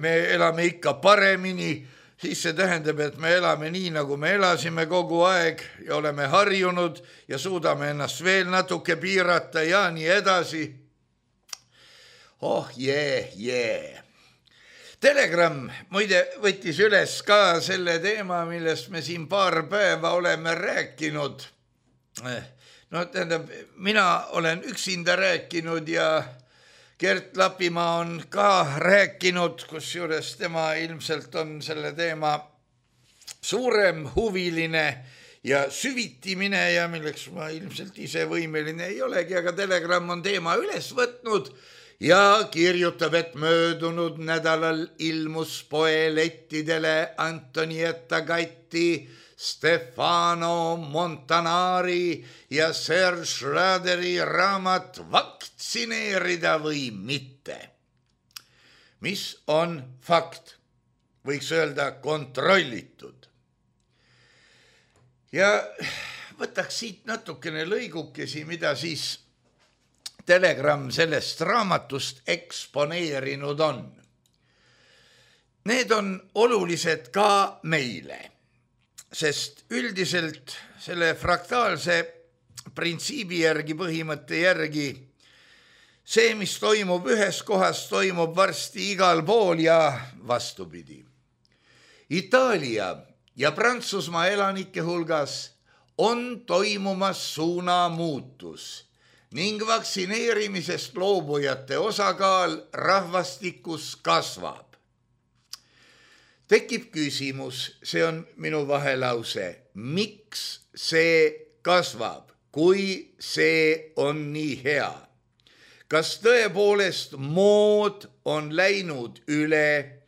me elame ikka paremini, siis see tähendab, et me elame nii, nagu me elasime kogu aeg ja oleme harjunud ja suudame ennast veel natuke piirata ja nii edasi. Oh jee, jee. Telegram muide võttis üles ka selle teema, millest me siin paar päeva oleme rääkinud. No tähendab, mina olen üksinda rääkinud ja Gert Lapimaa on ka rääkinud, kusjuures tema ilmselt on selle teema suurem huviline ja süviti mineja, milleks ma ilmselt ise võimeline ei olegi, aga Telegram on teema üles võtnud ja kirjutab, et möödunud nädalal ilmus poelettidele Antonietta Gatti, Stefano Montanari ja Serge Schraderi raamat Vaktsineerida või mitte. Mis on fakt? Võiks öelda kontrollitud. Ja võtaks siit natukene lõigukesi, mida siis Telegram sellest raamatust eksponeerinud on. Need on olulised ka meile, sest üldiselt selle fraktaalse printsiibi järgi, põhimõtte järgi, see, mis toimub ühes kohas, toimub varsti igal pool ja vastupidi. Itaalia ja Prantsusmaa elanike hulgas on toimumas suunamuutus ning vaktsineerimisest loobujate osakaal rahvastikus kasvab. Tekib küsimus, see on minu vahelause, miks see kasvab, kui see on nii hea? Kas tõepoolest mood on läinud üle,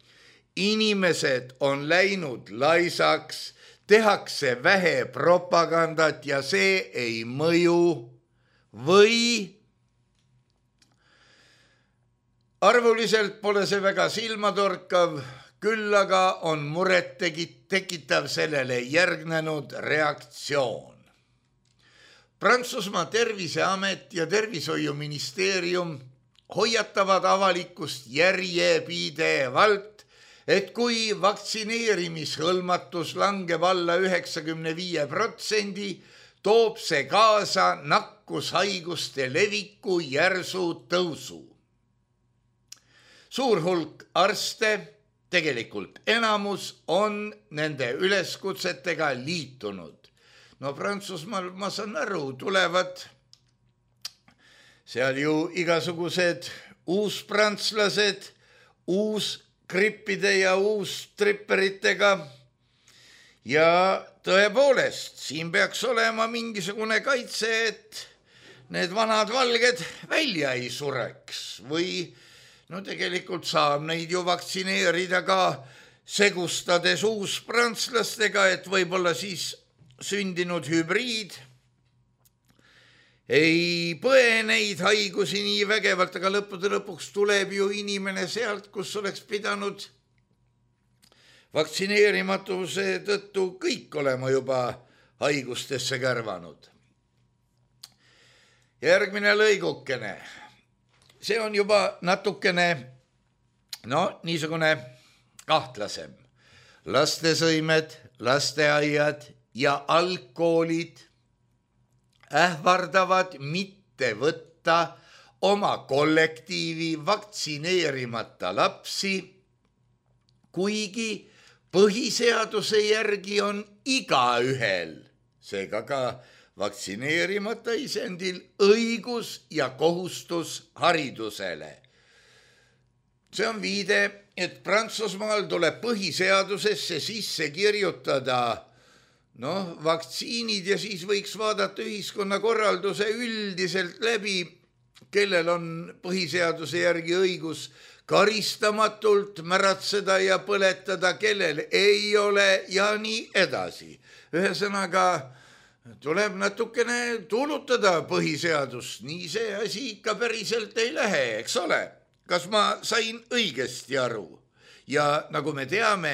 inimesed on läinud laisaks, tehakse vähe propagandat ja see ei mõju? Või arvuliselt pole see väga silmatorkav, küll aga on muret tekitav sellele järgnenud reaktsioon. Prantsusmaa terviseamet ja tervishoiuministeerium hoiatavad avalikkust järjepidevalt, et kui vaktsineerimishõlmatus langeb alla üheksakümne viie protsendi, toob see kaasa nakkushaiguste leviku järsu tõusu. Suur hulk arste, tegelikult enamus, on nende üleskutsetega liitunud. No Prantsusmaal, ma saan aru, tulevad seal ju igasugused uuspräntslased, uus grippide ja uus tripperitega ja tõepoolest, siin peaks olema mingisugune kaitse, et need vanad valged välja ei sureks või no tegelikult saab neid ju vaktsineerida ka segustades uusprantslastega, et võib-olla siis sündinud hübriid ei põe neid haigusi nii vägevalt, aga lõppude lõpuks tuleb ju inimene sealt, kus oleks pidanud vaktsineerimatuse tõttu kõik olema juba haigustesse kärvanud. Järgmine lõigukene. See on juba natukene, no niisugune kahtlasem. Lastesõimed, lasteaiad ja algkoolid ähvardavad mitte võtta oma kollektiivi vaktsineerimata lapsi, kuigi põhiseaduse järgi on igaühel, seega ka vaktsineerimata isendil, õigus ja kohustus haridusele. See on viide, et Prantsusmaal tuleb põhiseadusesse sisse kirjutada noh, vaktsiinid ja siis võiks vaadata ühiskonnakorralduse üldiselt läbi, kellel on põhiseaduse järgi õigus karistamatult märatseda ja põletada, kellel ei ole ja nii edasi. Ühesõnaga tuleb natukene tuulutada põhiseadust, nii see asi ikka päriselt ei lähe, eks ole. Kas ma sain õigesti aru? Ja nagu me teame,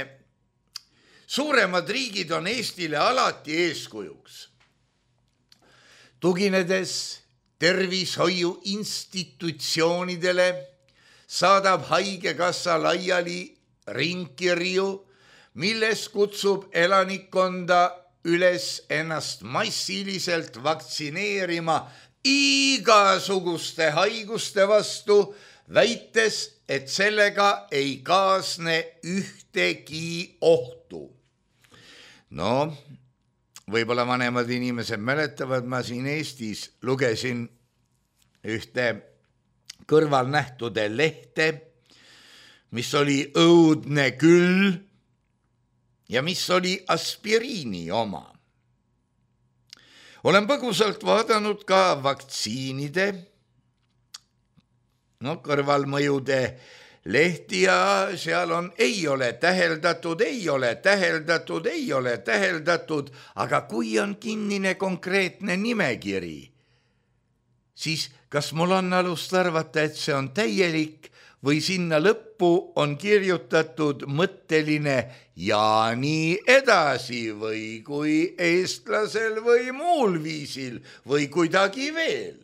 suuremad riigid on Eestile alati eeskujuks. Tuginedes tervishoiu institutsioonidele saadab haigekassa laiali ringkirju, milles kutsub elanikkonda üles ennast massiliselt vaktsineerima igasuguste haiguste vastu, väites, et sellega ei kaasne ühtegi ohtu. No, võib-olla vanemad inimesed mäletavad, ma siin Eestis lugesin ühte kõrvalnähtude lehte, mis oli õudne küll ja mis oli aspiriini oma. Olen põgusalt vaadanud ka vaktsiinide, no kõrvalmõjude lehti ja seal on ei ole täheldatud, ei ole täheldatud, ei ole täheldatud, aga kui on kinnine konkreetne nimekiri, siis kas mul on alust arvata, et see on täielik või sinna lõppu on kirjutatud mõtteline ja nii edasi või kui eestlasel või muul viisil või kuidagi veel.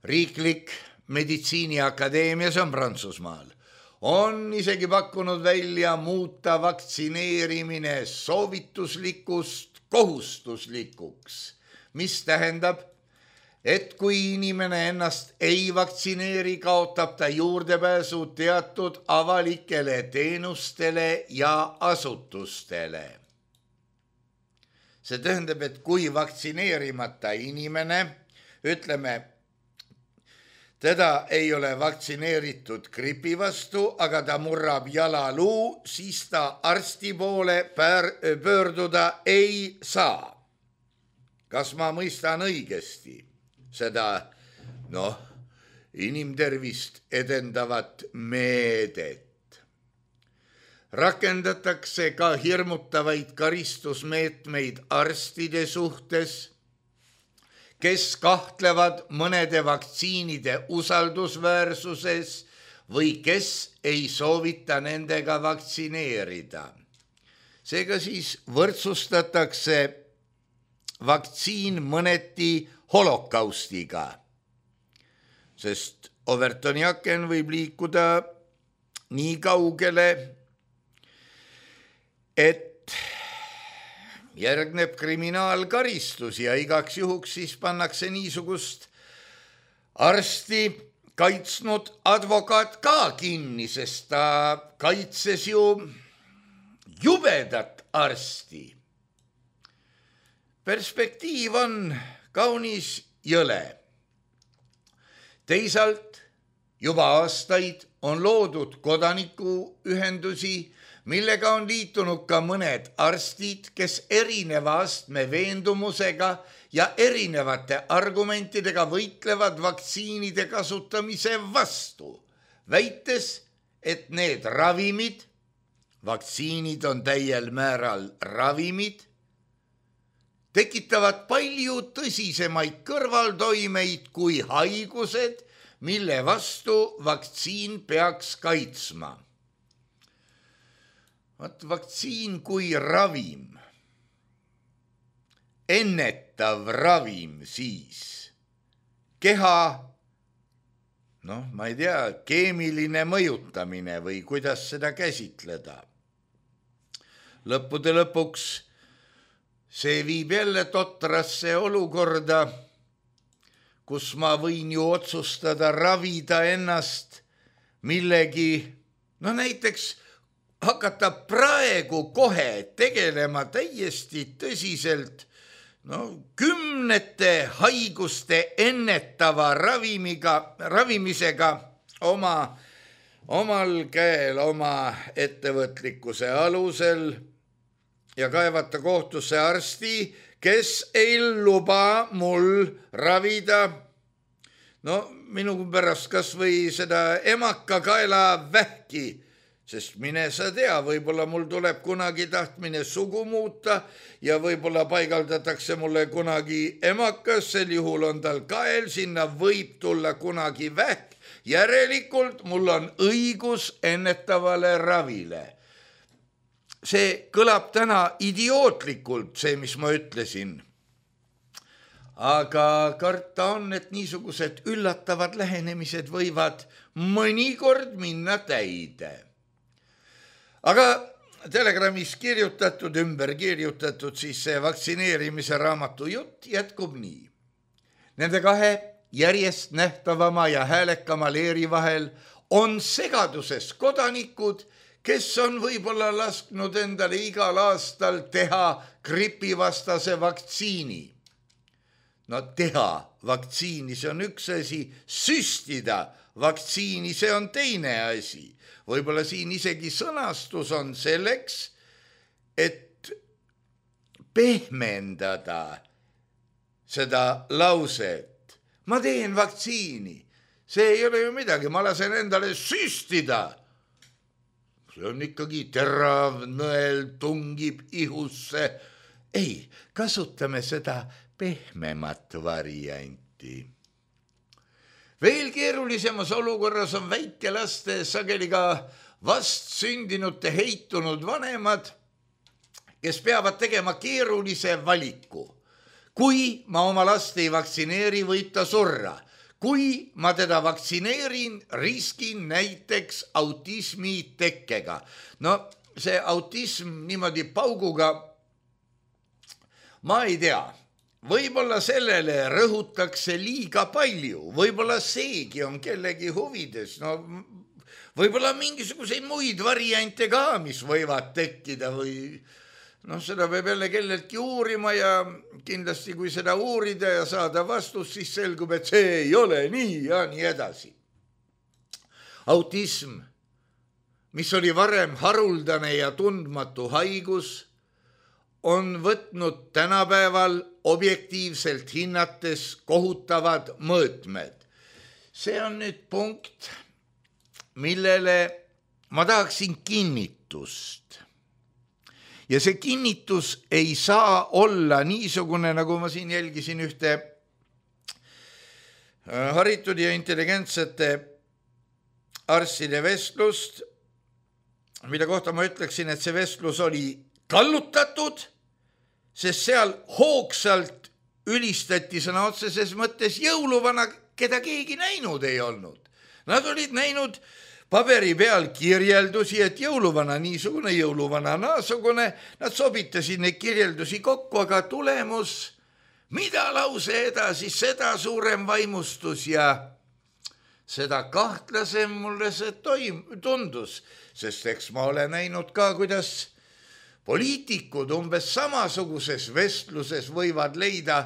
Riiklik meditsiiniakadeemia, see on Prantsusmaal, on isegi pakkunud välja muuta vaktsineerimine soovituslikust kohustuslikuks, mis tähendab, et kui inimene ennast ei vaktsineeri, kaotab ta juurdepääsu teatud avalikele teenustele ja asutustele. See tähendab, et kui vaktsineerimata inimene, ütleme, teda ei ole vaktsineeritud gripi vastu, aga ta murrab jalaluu, siis ta arsti poole pöörduda ei saa. Kas ma mõistan õigesti seda, noh, inimtervist edendavat meedet? Rakendatakse ka hirmutavaid karistusmeetmeid arstide suhtes, kes kahtlevad mõnede vaktsiinide usaldusväärsuses või kes ei soovita nendega vaktsineerida. Seega siis võrdsustatakse vaktsiin mõneti holokaustiga, sest Overtoniaken võib liikuda nii kaugele, et järgneb kriminaalkaristus ja igaks juhuks siis pannakse niisugust arsti kaitsnud advokaat ka kinni, sest ta kaitses ju jubedat arsti. Perspektiiv on kaunis jõle. Teisalt juba aastaid on loodud kodanikuühendusi, millega on liitunud ka mõned arstid, kes erineva astme veendumusega ja erinevate argumentidega võitlevad vaktsiinide kasutamise vastu, väites, et need ravimid, vaktsiinid on täiel määral ravimid, tekitavad palju tõsisemaid kõrvaltoimeid kui haigused, mille vastu vaktsiin peaks kaitsma. Vaat vaktsiin kui ravim, ennetav ravim siis, keha, noh, ma ei tea, keemiline mõjutamine või kuidas seda käsitleda. Lõppude lõpuks see viib jälle totrasse olukorda, kus ma võin ju otsustada ravida ennast millegi, no näiteks hakata praegu kohe tegelema täiesti tõsiselt no, kümnete haiguste ennetava ravimiga, ravimisega oma, omal käel, oma ettevõtlikkuse alusel ja kaevata kohtusse arsti, kes ei luba mul ravida, no minu pärast kas või seda emakakaela vähki, sest mine sa tea, võib-olla mul tuleb kunagi tahtmine sugu muuta ja võib-olla paigaldatakse mulle kunagi emakas, sel juhul on tal kael, sinna võib tulla kunagi vähk, järelikult mul on õigus ennetavale ravile. See kõlab täna idiootlikult, see, mis ma ütlesin. Aga karta on, et niisugused üllatavad lähenemised võivad mõnikord minna täide. Aga Telegramis kirjutatud, ümber kirjutatud, siis see vaktsineerimise raamatu jutt jätkub nii. Nende kahe järjest nähtavama ja häälekama leeri vahel on segaduses kodanikud, kes on võib-olla lasknud endale igal aastal teha gripivastase vaktsiini. No teha vaktsiini, see on üks asi, süstida vaktsiini, see on teine asi. Võib-olla siin isegi sõnastus on selleks, et pehmendada seda lauset. Ma teen vaktsiini, see ei ole ju midagi, ma lasen endale süstida. See on ikkagi terav nõel, tungib ihusse. Ei, kasutame seda pehmemat varianti. Veel keerulisemas olukorras on väikelaste sageli ka vast sündinute heitunud vanemad, kes peavad tegema keerulise valiku. Kui ma oma last ei vaktsineeri, võib ta surra. Kui ma teda vaktsineerin, riskin näiteks autismi tekkega. No see autism niimoodi pauguga, ma ei tea, võib-olla sellele rõhutakse liiga palju, võib-olla seegi on kellegi huvides, no võib-olla mingisuguseid muid variante ka, mis võivad tekkida või noh, seda peab jälle kelleltki uurima ja kindlasti kui seda uurida ja saada vastus, siis selgub, et see ei ole nii ja nii edasi. Autism, mis oli varem haruldane ja tundmatu haigus, on võtnud tänapäeval objektiivselt hinnates kohutavad mõõtmed. See on nüüd punkt, millele ma tahaksin kinnitust. Ja see kinnitus ei saa olla niisugune, nagu ma siin jälgisin ühte haritud ja intelligentsete arstide vestlust, mille kohta ma ütleksin, et see vestlus oli kallutatud, sest seal hoogsalt ülistati sõna otseses mõttes jõuluvana, keda keegi näinud ei olnud. Nad olid näinud paberi peal kirjeldusi, et jõuluvana niisugune, jõuluvana naasugune, nad sobitasid neid kirjeldusi kokku, aga tulemus, mida lause edasi, seda suurem vaimustus ja seda kahtlasem mulle see toim, tundus, sest eks ma olen näinud ka, kuidas poliitikud umbes samasuguses vestluses võivad leida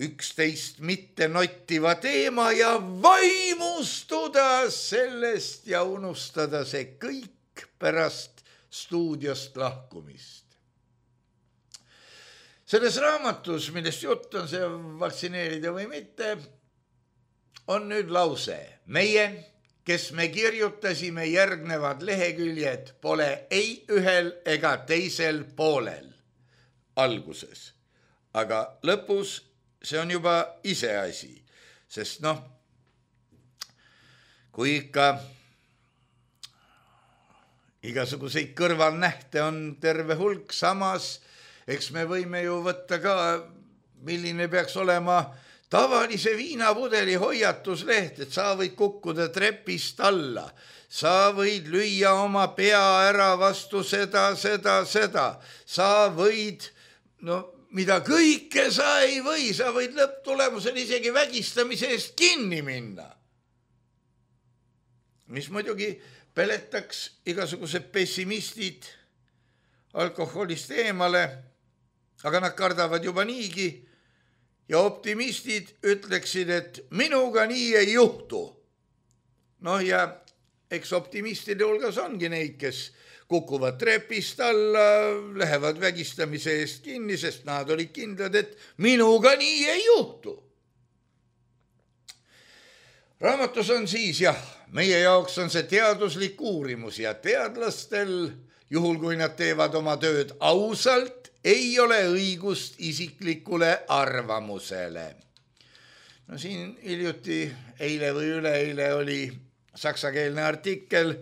üksteist mitte nottiva teema ja vaimustuda sellest ja unustada see kõik pärast stuudiost lahkumist. Selles raamatus, millest jutt on see vaktsineerida või mitte, on nüüd lause. Meie, kes me kirjutasime järgnevad leheküljed, pole ei ühel ega teisel poolel alguses. Aga lõpus see on juba iseasi, sest noh, kui ikka igasuguseid kõrvalnähte on terve hulk, samas eks me võime ju võtta ka, milline peaks olema tavalise viinapudeli hoiatusleht, et sa võid kukkuda trepist alla, sa võid lüüa oma pea ära vastu seda, seda, seda, sa võid, no mida kõike sa ei või, sa võid lõpptulemusel isegi vägistamise eest kinni minna. Mis muidugi peletaks igasugused pessimistid alkoholist eemale, aga nad kardavad juba niigi ja optimistid ütleksid, et minuga nii ei juhtu. Noh ja eks optimistide hulgas ongi neid, kes kukuvad trepist alla, lähevad vägistamise eest kinni, sest nad olid kindlad, et minuga nii ei juhtu. Raamatus on siis jah, meie jaoks on see teaduslik uurimus ja teadlastel, juhul kui nad teevad oma tööd ausalt, ei ole õigust isiklikule arvamusele. No siin hiljuti, eile või üleeile oli saksakeelne artikkel,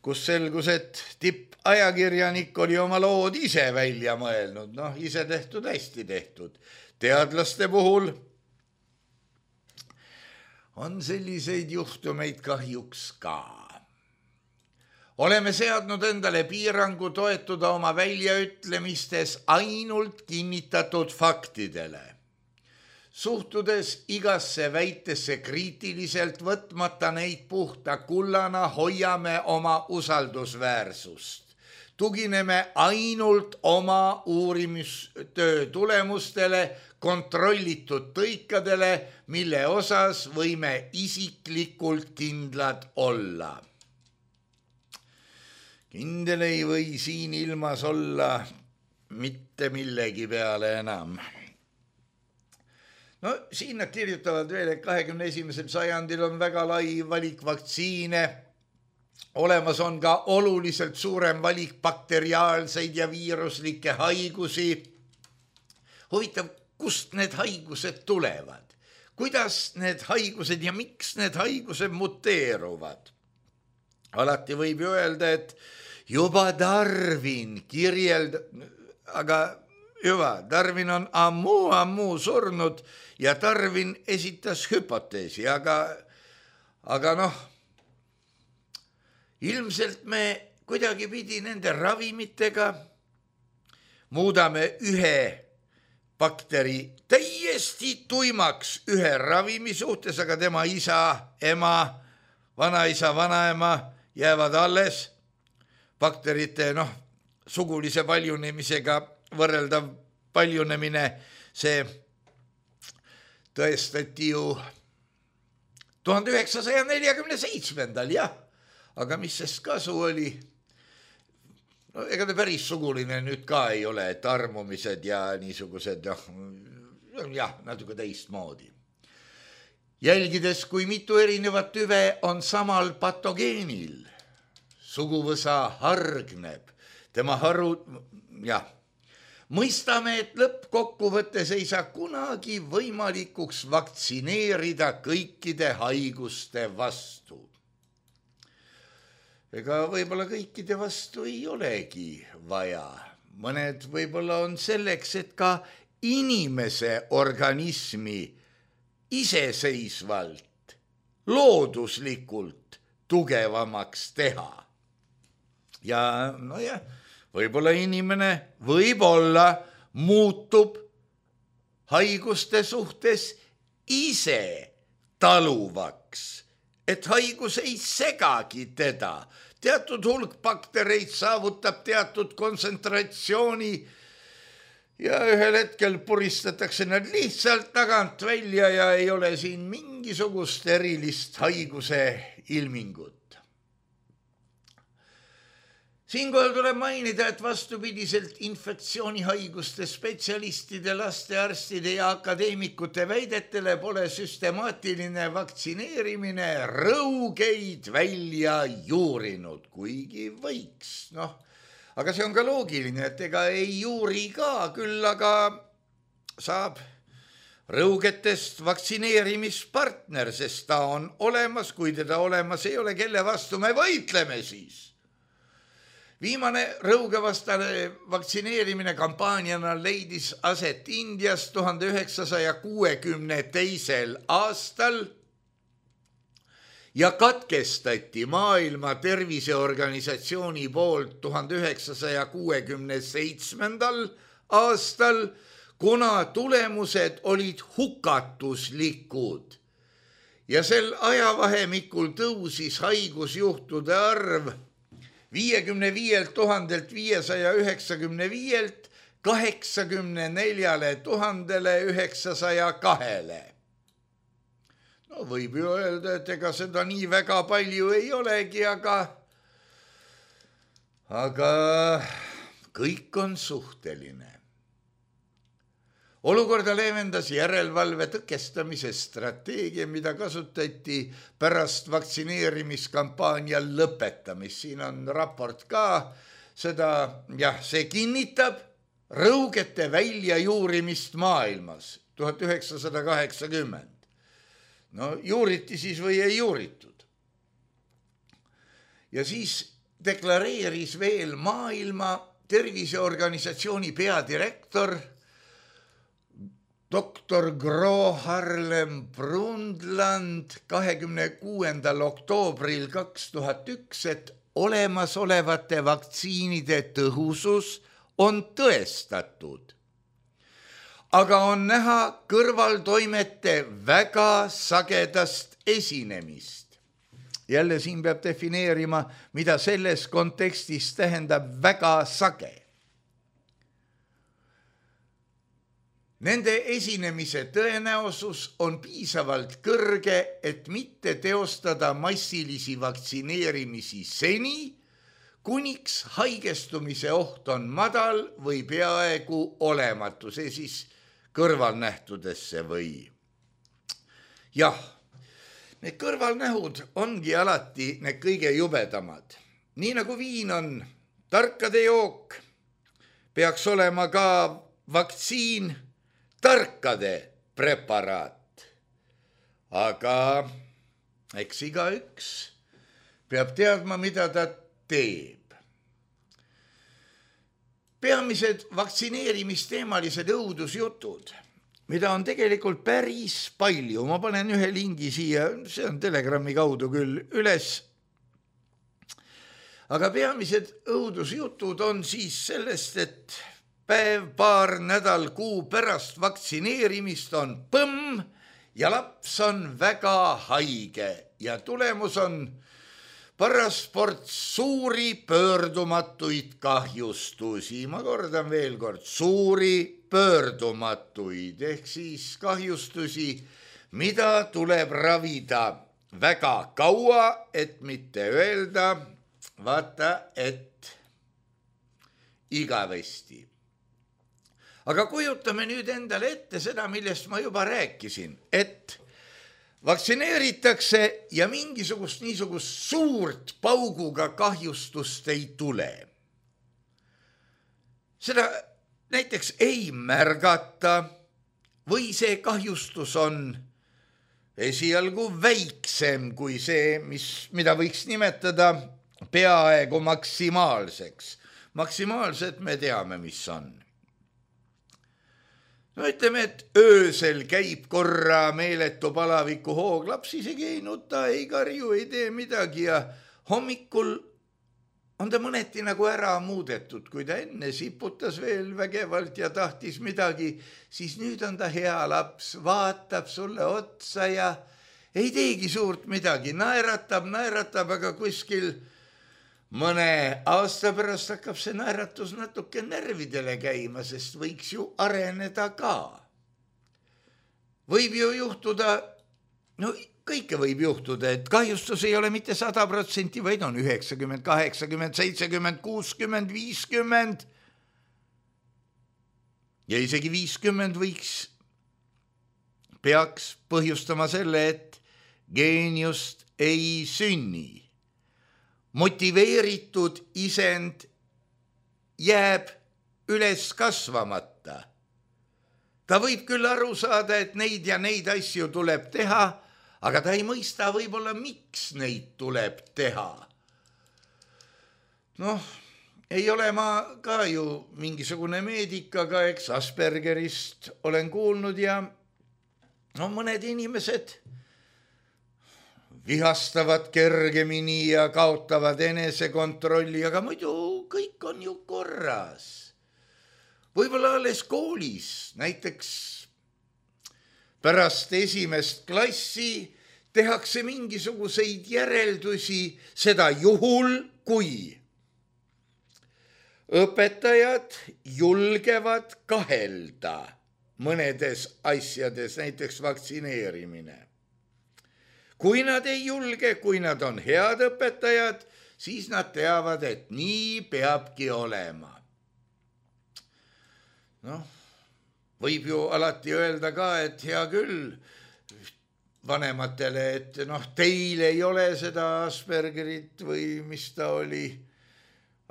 kus selgus, et tippajakirjanik oli oma lood ise välja mõelnud. Noh, ise tehtud, hästi tehtud. Teadlaste puhul on selliseid juhtumeid kahjuks ka. Oleme seadnud endale piirangu toetuda oma väljaütlemistes ainult kinnitatud faktidele. Suhtudes igasse väitesse kriitiliselt, võtmata neid puhta kullana, hoiame oma usaldusväärsust. Tugineme ainult oma uurimistöö tulemustele, kontrollitud tõikadele, mille osas võime isiklikult kindlad olla. Kindel ei või siin ilmas olla mitte millegi peale enam. No siin nad kirjutavad veel, et kahekümne esimesel sajandil on väga lai valik vaktsiine. Olemas on ka oluliselt suurem valik bakteriaalseid ja viiruslikke haigusi. Huvitav, kust need haigused tulevad? Kuidas need haigused ja miks need haigused muteeruvad? Alati võib ju öelda, et juba Darwin kirjeld, aga juba, Darwin on ammu, ammu surnud ja Darwin esitas hüpoteesi, aga, aga noh, ilmselt me kuidagi pidi nende ravimitega muudame ühe bakteri täiesti tuimaks ühe ravimi suhtes, aga tema isa, ema, vanaisa, vanaema jäävad alles. Bakterite, noh, sugulise paljunemisega võrreldav paljunemine, see tõestati ju tuhande üheksasaja neljakümne seitsmendal, jah. Aga mis sest kasu oli? No ega ta päris suguline nüüd ka ei ole, et armumised ja niisugused, noh, jah, natuke teistmoodi. Jälgides, kui mitu erinevat tüve on samal patogeenil, suguvõsa hargneb, tema haru, jah, mõistame, et lõppkokkuvõttes ei saa kunagi võimalikuks vaktsineerida kõikide haiguste vastu. Ega võib-olla kõikide vastu ei olegi vaja. Mõned võib-olla on selleks, et ka inimese organismi iseseisvalt, looduslikult tugevamaks teha. Ja no jah, võib-olla inimene võib-olla muutub haiguste suhtes ise taluvaks, et haigus ei segagi teda. Teatud hulk baktereid saavutab teatud kontsentratsiooni ja ühel hetkel puristatakse nad lihtsalt tagant välja ja ei ole siin mingisugust erilist haiguse ilmingut. Siinkohal tuleb mainida, et vastupidiselt infektsioonihaiguste spetsialistide, lastearstide ja akadeemikute väidetele pole süstemaatiline vaktsineerimine rõugeid välja juurinud, kuigi võiks. Noh, aga see on ka loogiline, et ega ei juuri ka, küll aga saab rõugetest vaktsineerimispartner, sest ta on olemas, kui teda olemas ei ole, kelle vastu me võitleme siis. Viimane rõugevastane vaktsineerimine kampaaniana leidis aset Indias tuhande üheksasaja kuuekümne teisel aastal ja katkestati Maailma Terviseorganisatsiooni poolt tuhande üheksasaja kuuekümne seitsmendal aastal, kuna tulemused olid hukatuslikud ja sel ajavahemikul tõusis haigusjuhtude arv viiekümne viielt tuhandelt viiesaja üheksakümne viielt kaheksakümne neljale tuhandele üheksasaja kahele. No võib ju öelda, et ega seda nii väga palju ei olegi, aga, aga kõik on suhteline. Olukorda leevendas järelevalve tõkestamise strateegia, mida kasutati pärast vaktsineerimiskampaania lõpetamist. Siin on raport ka, seda, jah, see kinnitab rõugete väljajuurimist maailmas tuhat üheksasada kaheksakümmend. No juuriti siis või ei juuritud. Ja siis deklareeris veel Maailma Terviseorganisatsiooni peadirektor doktor Gro Harlem Brundtland kahekümne kuuendal oktoobril kaks tuhat üks, et olemasolevate vaktsiinide tõhusus on tõestatud. Aga on näha kõrvaltoimete väga sagedast esinemist. Jälle siin peab defineerima, mida selles kontekstis tähendab väga sage. Nende esinemise tõenäosus on piisavalt kõrge, et mitte teostada massilisi vaktsineerimisi seni, kuniks haigestumise oht on madal või peaaegu olematu, see siis kõrvalnähtudesse või. Jah, need kõrvalnähud ongi alati need kõige jubedamad. Nii nagu viin on tarkade jook, peaks olema ka vaktsiin tarkade preparaat. Aga eks igaüks peab teadma, mida ta teeb. Peamised vaktsineerimisteemalised õudusjutud, mida on tegelikult päris palju. Ma panen ühe lingi siia, see on Telegrami kaudu küll üles. Aga peamised õudusjutud on siis sellest, et päev, paar, nädal, kuu pärast vaktsineerimist on põmm ja laps on väga haige ja tulemus on paras ports suuri pöördumatuid kahjustusi. Ma kordan veel kord, suuri pöördumatuid ehk siis kahjustusi, mida tuleb ravida väga kaua, et mitte öelda, vaata, et igavesti. Aga kujutame nüüd endale ette seda, millest ma juba rääkisin, et vaktsineeritakse ja mingisugust niisugust suurt pauguga kahjustust ei tule. Seda näiteks ei märgata või see kahjustus on esialgu väiksem kui see, mis, mida võiks nimetada peaaegu maksimaalseks. Maksimaalselt me teame, mis on. No ütleme, et öösel käib korra meeletu palaviku hoog, laps isegi ei nuta, ei karju, ei tee midagi ja hommikul on ta mõneti nagu ära muudetud. Kui ta enne siputas veel vägevalt ja tahtis midagi, siis nüüd on ta hea laps, vaatab sulle otsa ja ei teegi suurt midagi, naeratab, naeratab, aga kuskil mõne aasta pärast hakkab see naeratus natuke närvidele käima, sest võiks ju areneda ka. Võib ju juhtuda, no kõike võib juhtuda, et kahjustus ei ole mitte sada protsenti, vaid on üheksakümmend, kaheksakümmend, seitsekümmend, kuuskümmend, viiskümmend ja isegi viiskümmend võiks, peaks põhjustama selle, et geeniust ei sünni. Motiveeritud isend jääb üles kasvamata. Ta võib küll aru saada, et neid ja neid asju tuleb teha, aga ta ei mõista võib-olla, miks neid tuleb teha. Noh, ei ole ma ka ju mingisugune meedik, aga eks Aspergerist olen kuulnud ja no mõned inimesed vihastavad kergemini ja kaotavad enesekontrolli, aga muidu kõik on ju korras. Võib-olla alles koolis, näiteks pärast esimest klassi tehakse mingisuguseid järeldusi, seda juhul, kui õpetajad julgevad kahelda mõnedes asjades, näiteks vaktsineerimine. Kui nad ei julge, kui nad on head õpetajad, siis nad teavad, et nii peabki olema. Noh, võib ju alati öelda ka, et hea küll vanematele, et noh, teil ei ole seda Aspergerit või mis ta oli,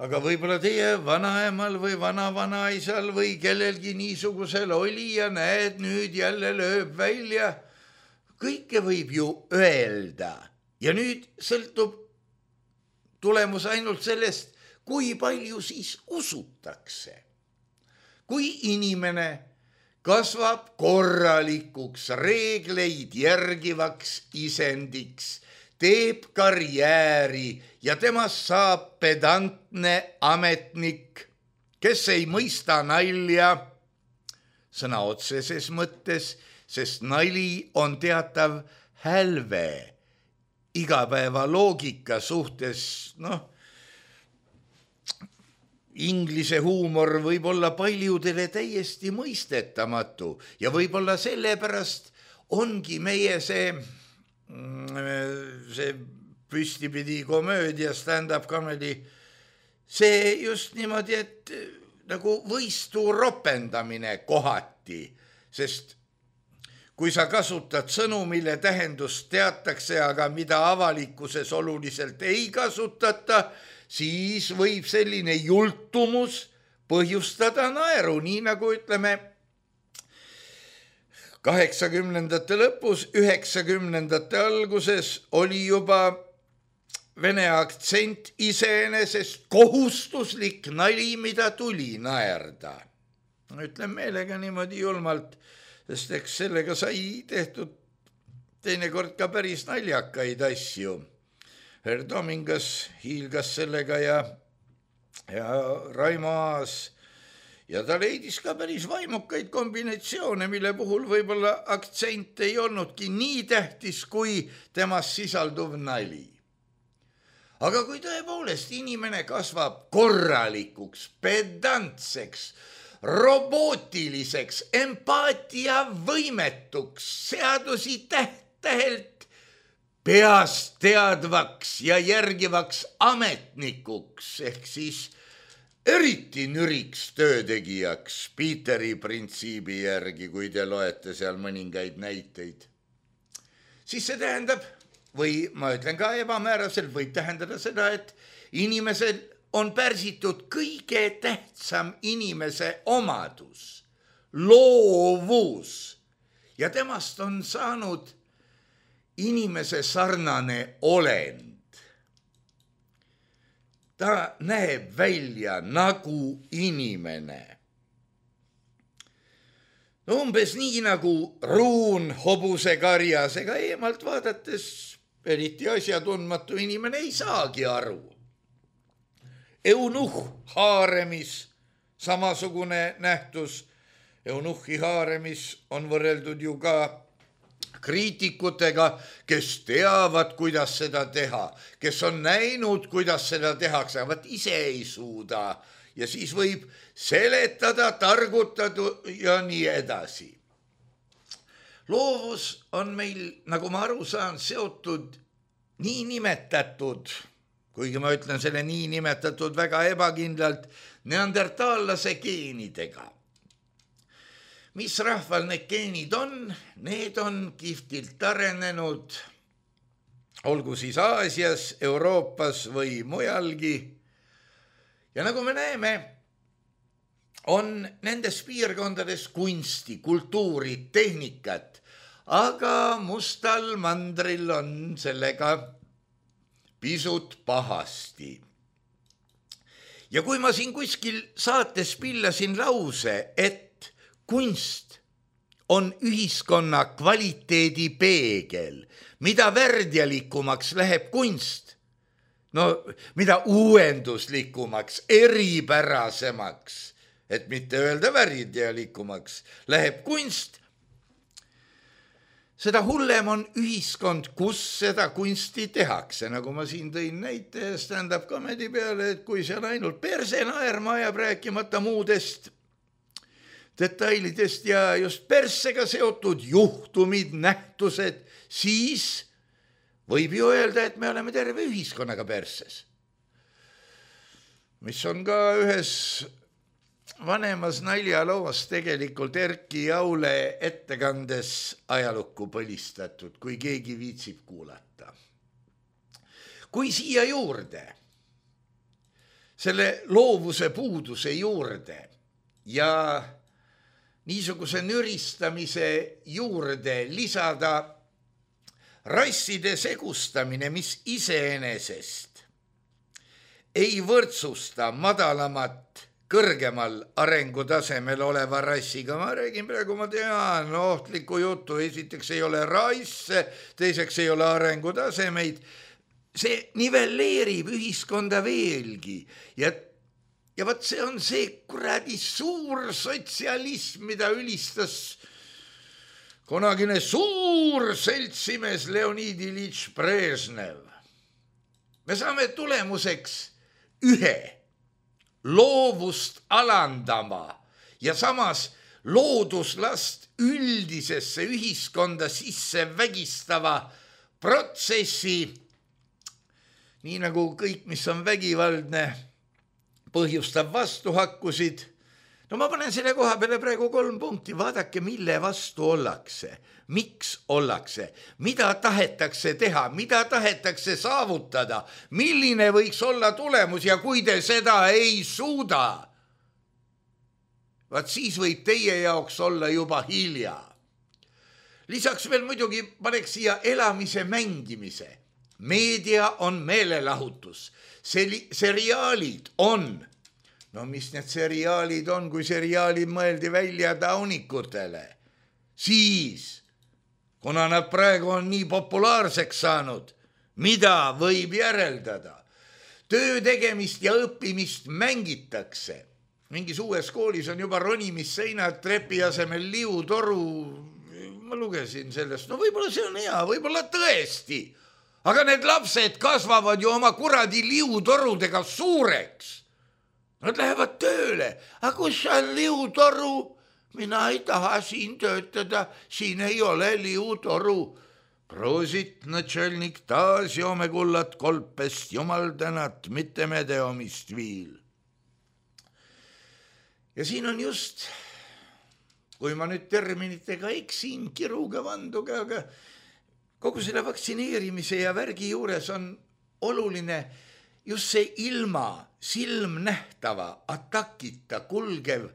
aga võib-olla teie vanaemal või vana-vanaisal või kellelgi niisugusel oli ja näed, nüüd jälle lööb välja. Kõike võib ju öelda ja nüüd sõltub tulemus ainult sellest, kui palju siis usutakse. Kui inimene kasvab korralikuks, reegleid järgivaks isendiks, teeb karjääri ja temast saab pedantne ametnik, kes ei mõista nalja sõna otseses mõttes, sest nali on teatav hälve igapäeva loogika suhtes, noh, inglise huumor võib olla paljudele täiesti mõistetamatu ja võib-olla sellepärast ongi meie see, see püstipidi komöödia, stand-up comedy, see just niimoodi, et nagu võistu ropendamine kohati, sest kui sa kasutad sõnu, mille tähendust teatakse, aga mida avalikkuses oluliselt ei kasutata, siis võib selline jultumus põhjustada naeru, nii nagu ütleme kaheksakümnendate lõpus, üheksakümnendate alguses oli juba vene aktsent iseenesest kohustuslik nali, mida tuli naerda. Ütlen meelega niimoodi julmalt, sest eks sellega sai tehtud teinekord ka päris naljakaid asju. Herr Tomingas hiilgas sellega ja, ja Raimo Aas ja ta leidis ka päris vaimukaid kombinatsioone, mille puhul võib-olla aktsent ei olnudki nii tähtis kui temas sisalduv nali. Aga kui tõepoolest inimene kasvab korralikuks, pedantseks, robootiliseks, empaatia võimetuks, seadusi täht-tähelt peast teadvaks ja järgivaks ametnikuks, ehk siis eriti nüriks töötegijaks Peteri printsiibi järgi, kui te loete seal mõningaid näiteid, siis see tähendab, või ma ütlen ka ebamääraselt, võib tähendada seda, et inimesel on pärsitud kõige tähtsam inimese omadus, loovus, ja temast on saanud inimese sarnane olend. Ta näeb välja nagu inimene. No umbes nii nagu ruun hobuse karjas, ega eemalt vaadates eriti asjatundmatu inimene ei saagi aru. Eunuh haaremis, samasugune nähtus. Eunuhhi haaremis on võrreldud ju ka kriitikutega, kes teavad, kuidas seda teha, kes on näinud, kuidas seda tehakse, aga ise ei suuda ja siis võib seletada, targutada ja nii edasi. loovus on meil, nagu ma aru saan, seotud niinimetatud, kuigi ma ütlen selle niinimetatud väga ebakindlalt, neandertaallase geenidega. Mis rahval need geenid on? Need on kihvtilt arenenud, olgu siis Aasias, Euroopas või mujalgi. Ja nagu me näeme, on nendes piirkondades kunsti, kultuuri, tehnikat, aga mustal mandril on sellega pisut pahasti. Ja kui ma siin kuskil saates pillasin lause, et kunst on ühiskonna kvaliteedi peegel, mida värdjalikumaks läheb kunst, no mida uuenduslikumaks, eripärasemaks, et mitte öelda värdjalikumaks, läheb kunst, seda hullem on ühiskond, kus seda kunsti tehakse. Nagu ma siin tõin näite stand-up comedy peale, et kui see on ainult perse naerma ajab, rääkimata muudest detailidest ja just persega seotud juhtumid, nähtused, siis võib ju öelda, et me oleme terve ühiskonnaga perses. Mis on ka ühes vanemas naljaloos tegelikult Erki Jaule ettekandes ajalukku põlistatud, kui keegi viitsib kuulata. Kui siia juurde, selle loovuse puuduse juurde ja niisuguse nüristamise juurde lisada rasside segustamine, mis iseenesest ei võrdsusta madalamat kõrgemal arengutasemel oleva rassiga. Ma räägin praegu, ma tean, ohtliku jutu, esiteks ei ole rasse, teiseks ei ole arengutasemeid. See nivelleerib ühiskonda veelgi ja Ja võt see on see kuradi suur sotsialism, mida ülistas kunagine suur seltsimees Leonid Iljitš Brežnev. Me saame tulemuseks ühe loovust alandama ja samas looduslast üldisesse ühiskonda sisse vägistava protsessi, nii nagu kõik, mis on vägivaldne, põhjustab vastuhakkusid. No ma panen selle koha peale praegu kolm punkti. Vaadake, mille vastu ollakse, miks ollakse, mida tahetakse teha, mida tahetakse saavutada, milline võiks olla tulemus ja kui te seda ei suuda, vaat siis võib teie jaoks olla juba hilja. Lisaks veel muidugi paneks siia elamise mängimise. Meedia on meelelahutus. Seriaalid on, no mis need seriaalid on, kui seriaalid mõeldi välja taunikutele, siis, kuna nad praegu on nii populaarseks saanud, mida võib järeldada? Töö tegemist ja õppimist mängitakse. Mingis uues koolis on juba ronimisseinad, trepi asemel liutoru. Ma lugesin sellest, no võib-olla see on hea, võib-olla tõesti. Aga need lapsed kasvavad ju oma kuradi liutorudega suureks. Nad lähevad tööle. Aga kus on liutoru? Mina ei taha siin töötada. Siin ei ole liutoru. Proosit, natšelnik, taas joome kullat kolpest, jumal tänat, mitte medeomist viil. Ja siin on just, kui ma nüüd terminitega eksin, kiruga vanduga, aga kogu selle vaktsineerimise ja värgi juures on oluline just see ilma silmnähtava atakita kulgev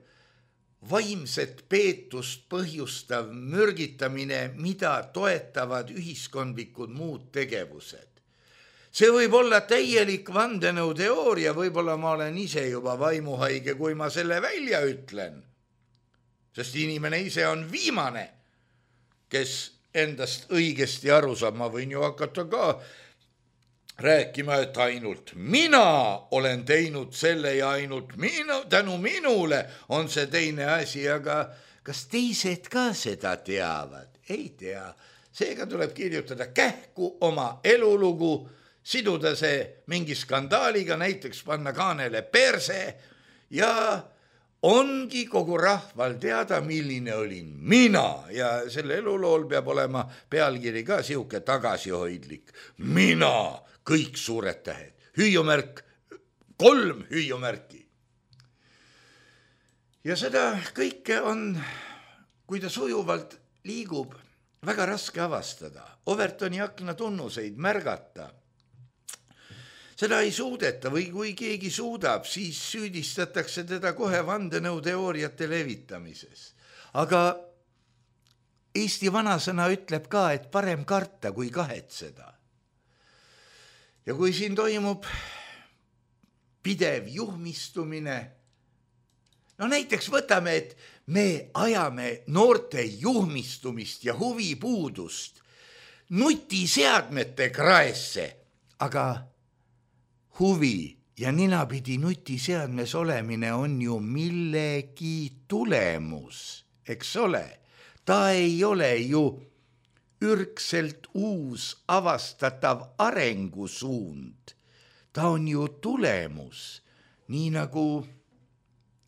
vaimset peetust põhjustav mürgitamine, mida toetavad ühiskondlikud muud tegevused. See võib olla täielik vandenõuteooria, võib-olla ma olen ise juba vaimuhaige, kui ma selle välja ütlen. Sest inimene ise on viimane, kes endast õigesti aru saab. Ma võin ju hakata ka rääkima, et ainult mina olen teinud selle ja ainult minu, tänu minule on see teine asi, aga kas teised ka seda teavad? Ei tea. Seega tuleb kirjutada kähku oma elulugu, siduda see mingi skandaaliga, näiteks panna kaanele perse ja ongi kogu rahval teada, milline olin mina ja selle elulool peab olema pealkiri ka siuke tagasihoidlik. Mina, kõik suured tähed, hüüumärk, kolm hüüumärki. Ja seda kõike on, kui ta sujuvalt liigub, väga raske avastada. Overtoni akna tunnuseid märgata. Seda ei suudeta või kui keegi suudab, siis süüdistatakse teda kohe vandenõuteooriate levitamises. Aga Eesti vanasõna ütleb ka, et parem karta kui kahetseda. Ja kui siin toimub pidev juhmistumine, no näiteks võtame, et me ajame noorte juhmistumist ja huvipuudust nutiseadmete kraesse, aga huvi ja ninapidi nutiseadmes olemine on ju millegi tulemus, eks ole. Ta ei ole ju ürgselt uus avastatav arengusuund. Ta on ju tulemus, nii nagu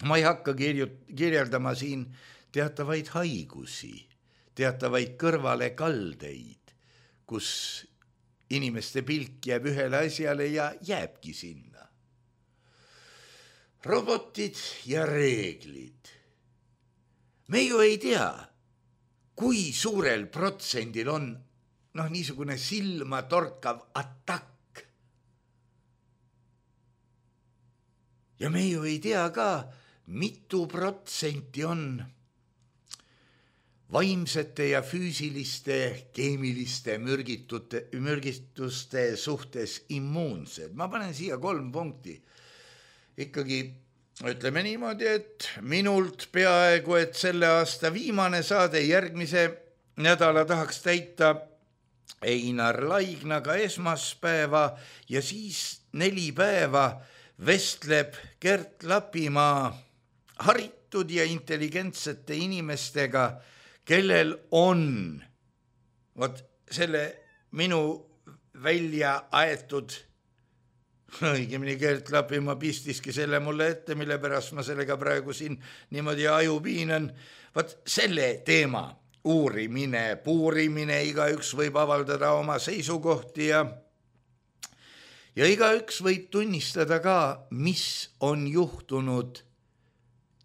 ma ei hakka kirjeldama siin teatavaid haigusi, teatavaid kõrvalekaldeid, kus inimeste pilk jääb ühele asjale ja jääbki sinna. Robotid ja reeglid. Me ju ei tea, kui suurel protsendil on noh, niisugune silma torkav atakk. Ja me ju ei tea ka, mitu protsenti on vaimsete ja füüsiliste, keemiliste mürgitute, mürgistuste suhtes immuunsed. Ma panen siia kolm punkti. Ikkagi ütleme niimoodi, et minult peaaegu, et selle aasta viimane saade järgmise nädala tahaks täita Einar Laignaga esmaspäeva ja siis neli päeva vestleb Gert Lapimaa haritud ja intelligentsete inimestega, kellel on vot selle minu välja aetud, õigemini Gert Lapimaa pistiski selle mulle ette, mille pärast ma sellega praegu siin niimoodi aju piinan, vot selle teema uurimine, puurimine, igaüks võib avaldada oma seisukohti ja ja igaüks võib tunnistada ka, mis on juhtunud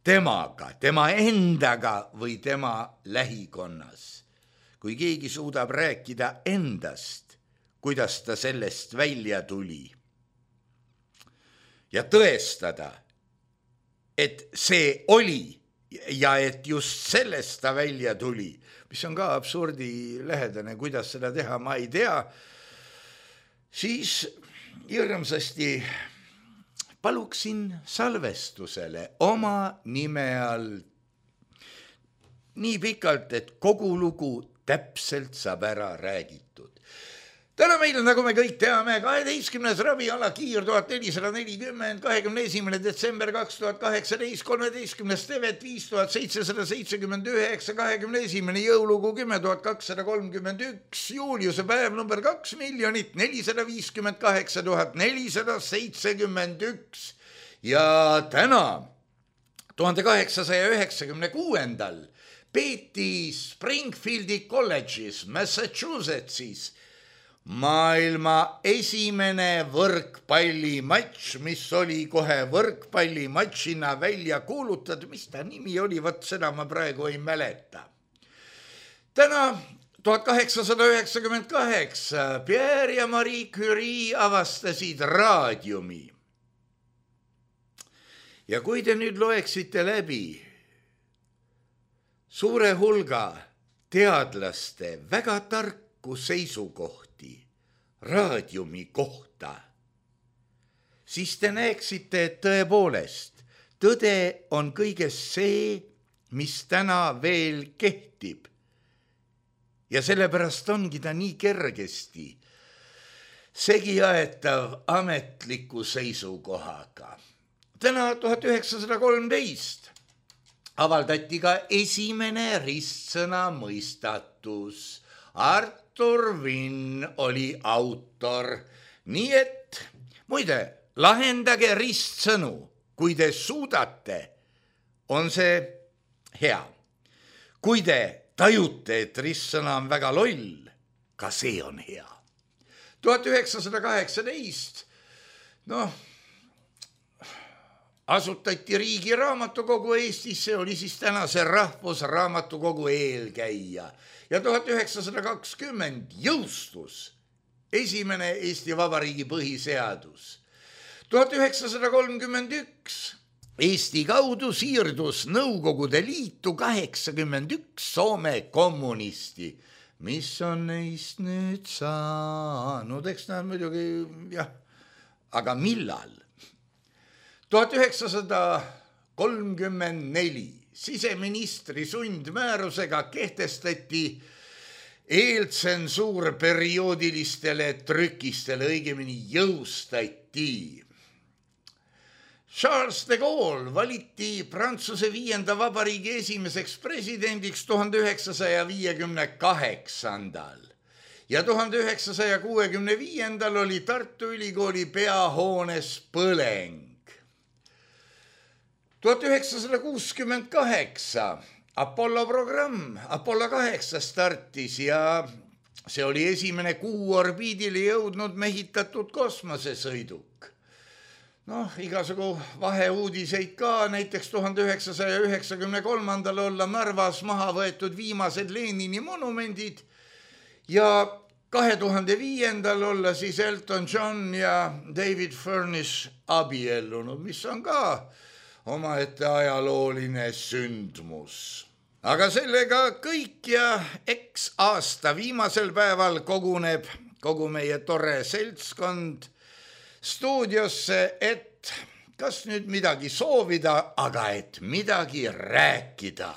temaga, tema endaga või tema lähikonnas. Kui keegi suudab rääkida endast, kuidas ta sellest välja tuli ja tõestada, et see oli ja et just sellest ta välja tuli, mis on ka absurdi lähedane, kuidas seda teha, ma ei tea, siis hirmsasti paluksin salvestusele oma nime all nii pikalt, et kogu lugu täpselt saab ära räägitud. Täna meil on, nagu me kõik teame, kaheteistkümnes raviala Kiir tuhat nelisada nelikümmend, kahekümne esimene detsember kaks tuhat kaheksateist, kolmeteistkümnes tevet viis tuhat seitsesada seitsekümmend üheksa, kahekümne esimene jõulugu kümme tuhat kakssada kolmkümmend üks, Juliuse päev number kaks miljonit nelisada viiskümmend kaheksa tuhat nelisada seitsekümmend üks ja täna tuhande kaheksasaja üheksakümne kuuendal peeti Springfieldi kolledžis Massachusettsis maailma esimene võrkpallimatš, mis oli kohe võrkpallimatšina välja kuulutatud, mis ta nimi oli, vot seda ma praegu ei mäleta. Täna tuhat kaheksasada üheksakümmend kaheksa Pierre ja Marie Curie avastasid raadiumi. Ja kui te nüüd loeksite läbi suure hulga teadlaste väga tarku seisukohti raadiumi kohta, siis te näeksite, et tõepoolest tõde on kõiges see, mis täna veel kehtib. Ja sellepärast ongi ta nii kergesti segiaetav ametliku seisukohaga. Täna tuhat üheksasada kolmteist avaldati ka esimene ristsõna mõistatus. Artur Vinn oli autor. Nii et, muide, lahendage ristsõnu, kui te suudate on see hea. Kui te tajute, et ristsõna on väga loll, ka see on hea. tuhat üheksasada kaheksateist, noh, asutati Riigi Raamatukogu Eestis, see oli siis tänase Rahvusraamatukogu eelkäija. Ja tuhat üheksasada kakskümmend jõustus esimene Eesti Vabariigi põhiseadus. tuhat üheksasada kolmkümmend üks Eesti kaudu siirdus Nõukogude Liitu kaheksakümmend üks Soome kommunisti. Mis on neist nüüd saanud? Eks nad muidugi, jah, aga millal? tuhat üheksasada kolmkümmend neli siseministri sundmäärusega kehtestati eeltsensuur perioodilistele trükistele, õigemini jõustati. Charles de Gaulle valiti Prantsuse viienda vabariigi esimeseks presidendiks tuhande üheksasaja viiekümne kaheksandal ja tuhande üheksasaja kuuekümne viiendal oli Tartu Ülikooli peahoones põleng. tuhat üheksasada kuuskümmend kaheksa Apollo programm, Apollo kaheksa startis ja see oli esimene kuu orbiidile jõudnud mehitatud kosmosesõiduk. Noh, igasugu vaheuudiseid ka, näiteks tuhande üheksasaja üheksakümne kolmandal olla Narvas maha võetud viimased Lenini monumendid ja kahe tuhande viiendal olla siis Elton John ja David Furnish abiellunud, mis on ka omaette ajalooline sündmus. Aga sellega kõik ja eks aasta viimasel päeval koguneb kogu meie tore seltskond stuudiosse, et kas nüüd midagi soovida, aga et midagi rääkida.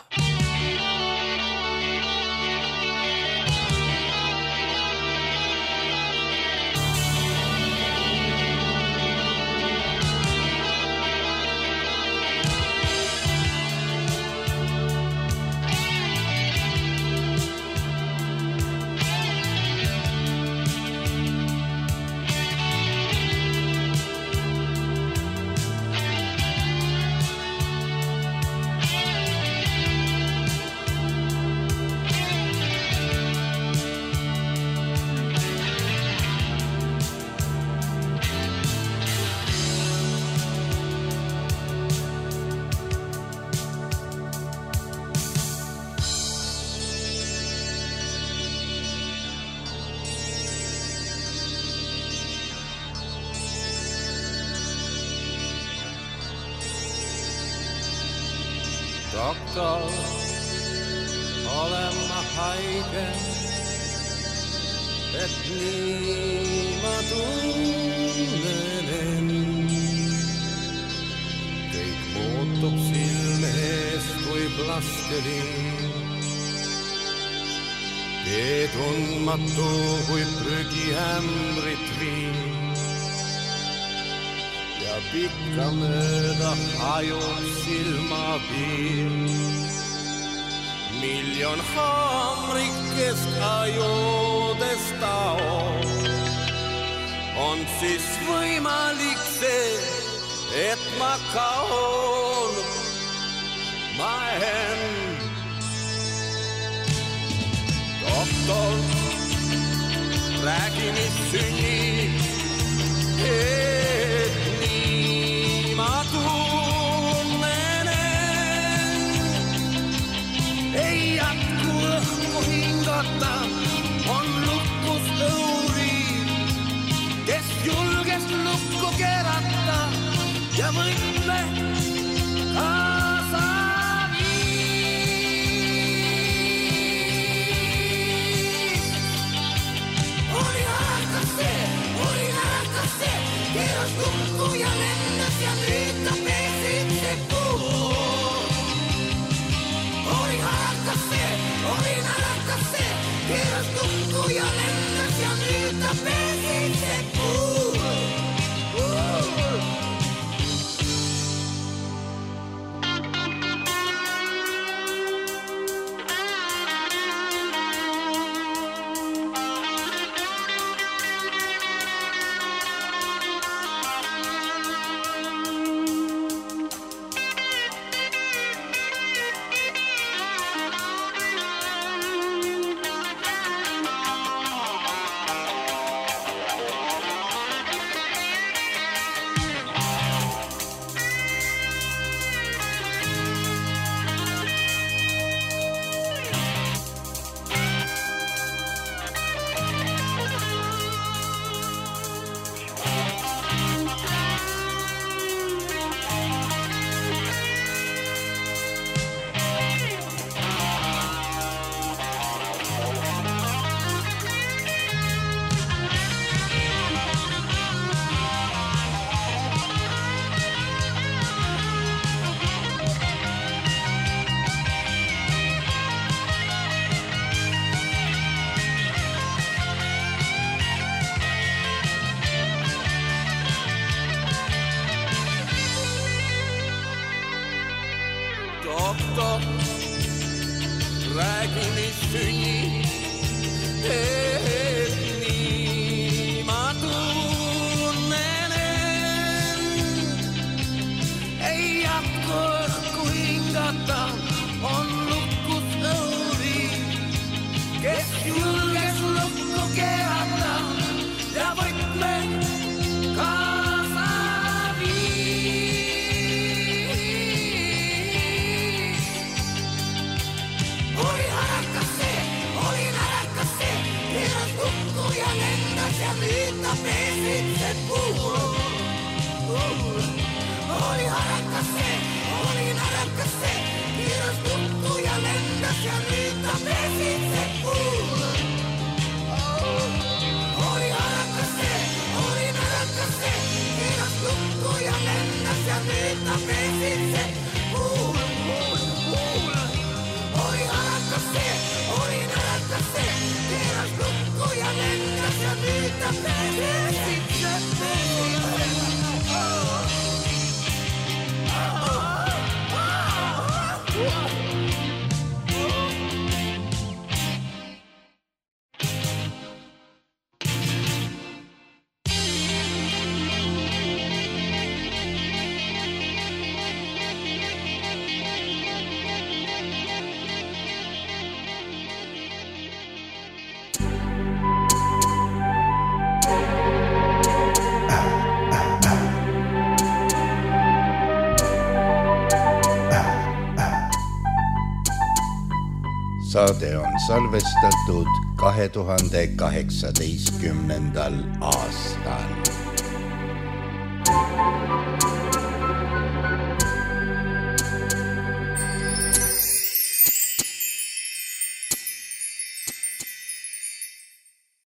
Doktor, olen ma haige, et nii ma tunnen end. Kõik muutub silme eest kui plastelin. Tee tundmatu kui prügihämrit viin. Ja pikka mööda hajub silmapiir. Miljon haamrikest ajudest taob. On siis võimalik see, et ma kaon ma end. Doktor, räägi mis sünnib, et nii ma tunnen end. Ei jätku õhku hingata, on lukus õuriid, kes julges lukku kerata ja võime kaasa viis. Oli ärakas see, oli ärakas see, keeras lukku ja lennas ja nüüd ta peesid see puu. Oli ärakas see, oli ärakas see, keeras lukku ja lennas ja nüüd ta peesid see puu. kohta. Räägi, mis sünni, et nii ma tunnen. Ei jatko õhku hingata, on lukus õuri, kes julges lukku keerata ja võtme kaasa viis. Oli ärakas see, oli ärakas see, keeras lukku ja lendas ja nüüd ta peesid see puul. Oli ärakas see, oli ärakas see, keeras lukku ja lendas ja nüüd ta peesid see puul. Oli ärakas see, oli ärakas see, keeras lukku ja lendas ja nüüd ta peesid see puul. Oli ärakas see, oli ärakas see, keeras lukku ja lendas ja nüüd ta peesid see puul. Saade on salvestatud kahe tuhande kaheksateistkümnendal aastal.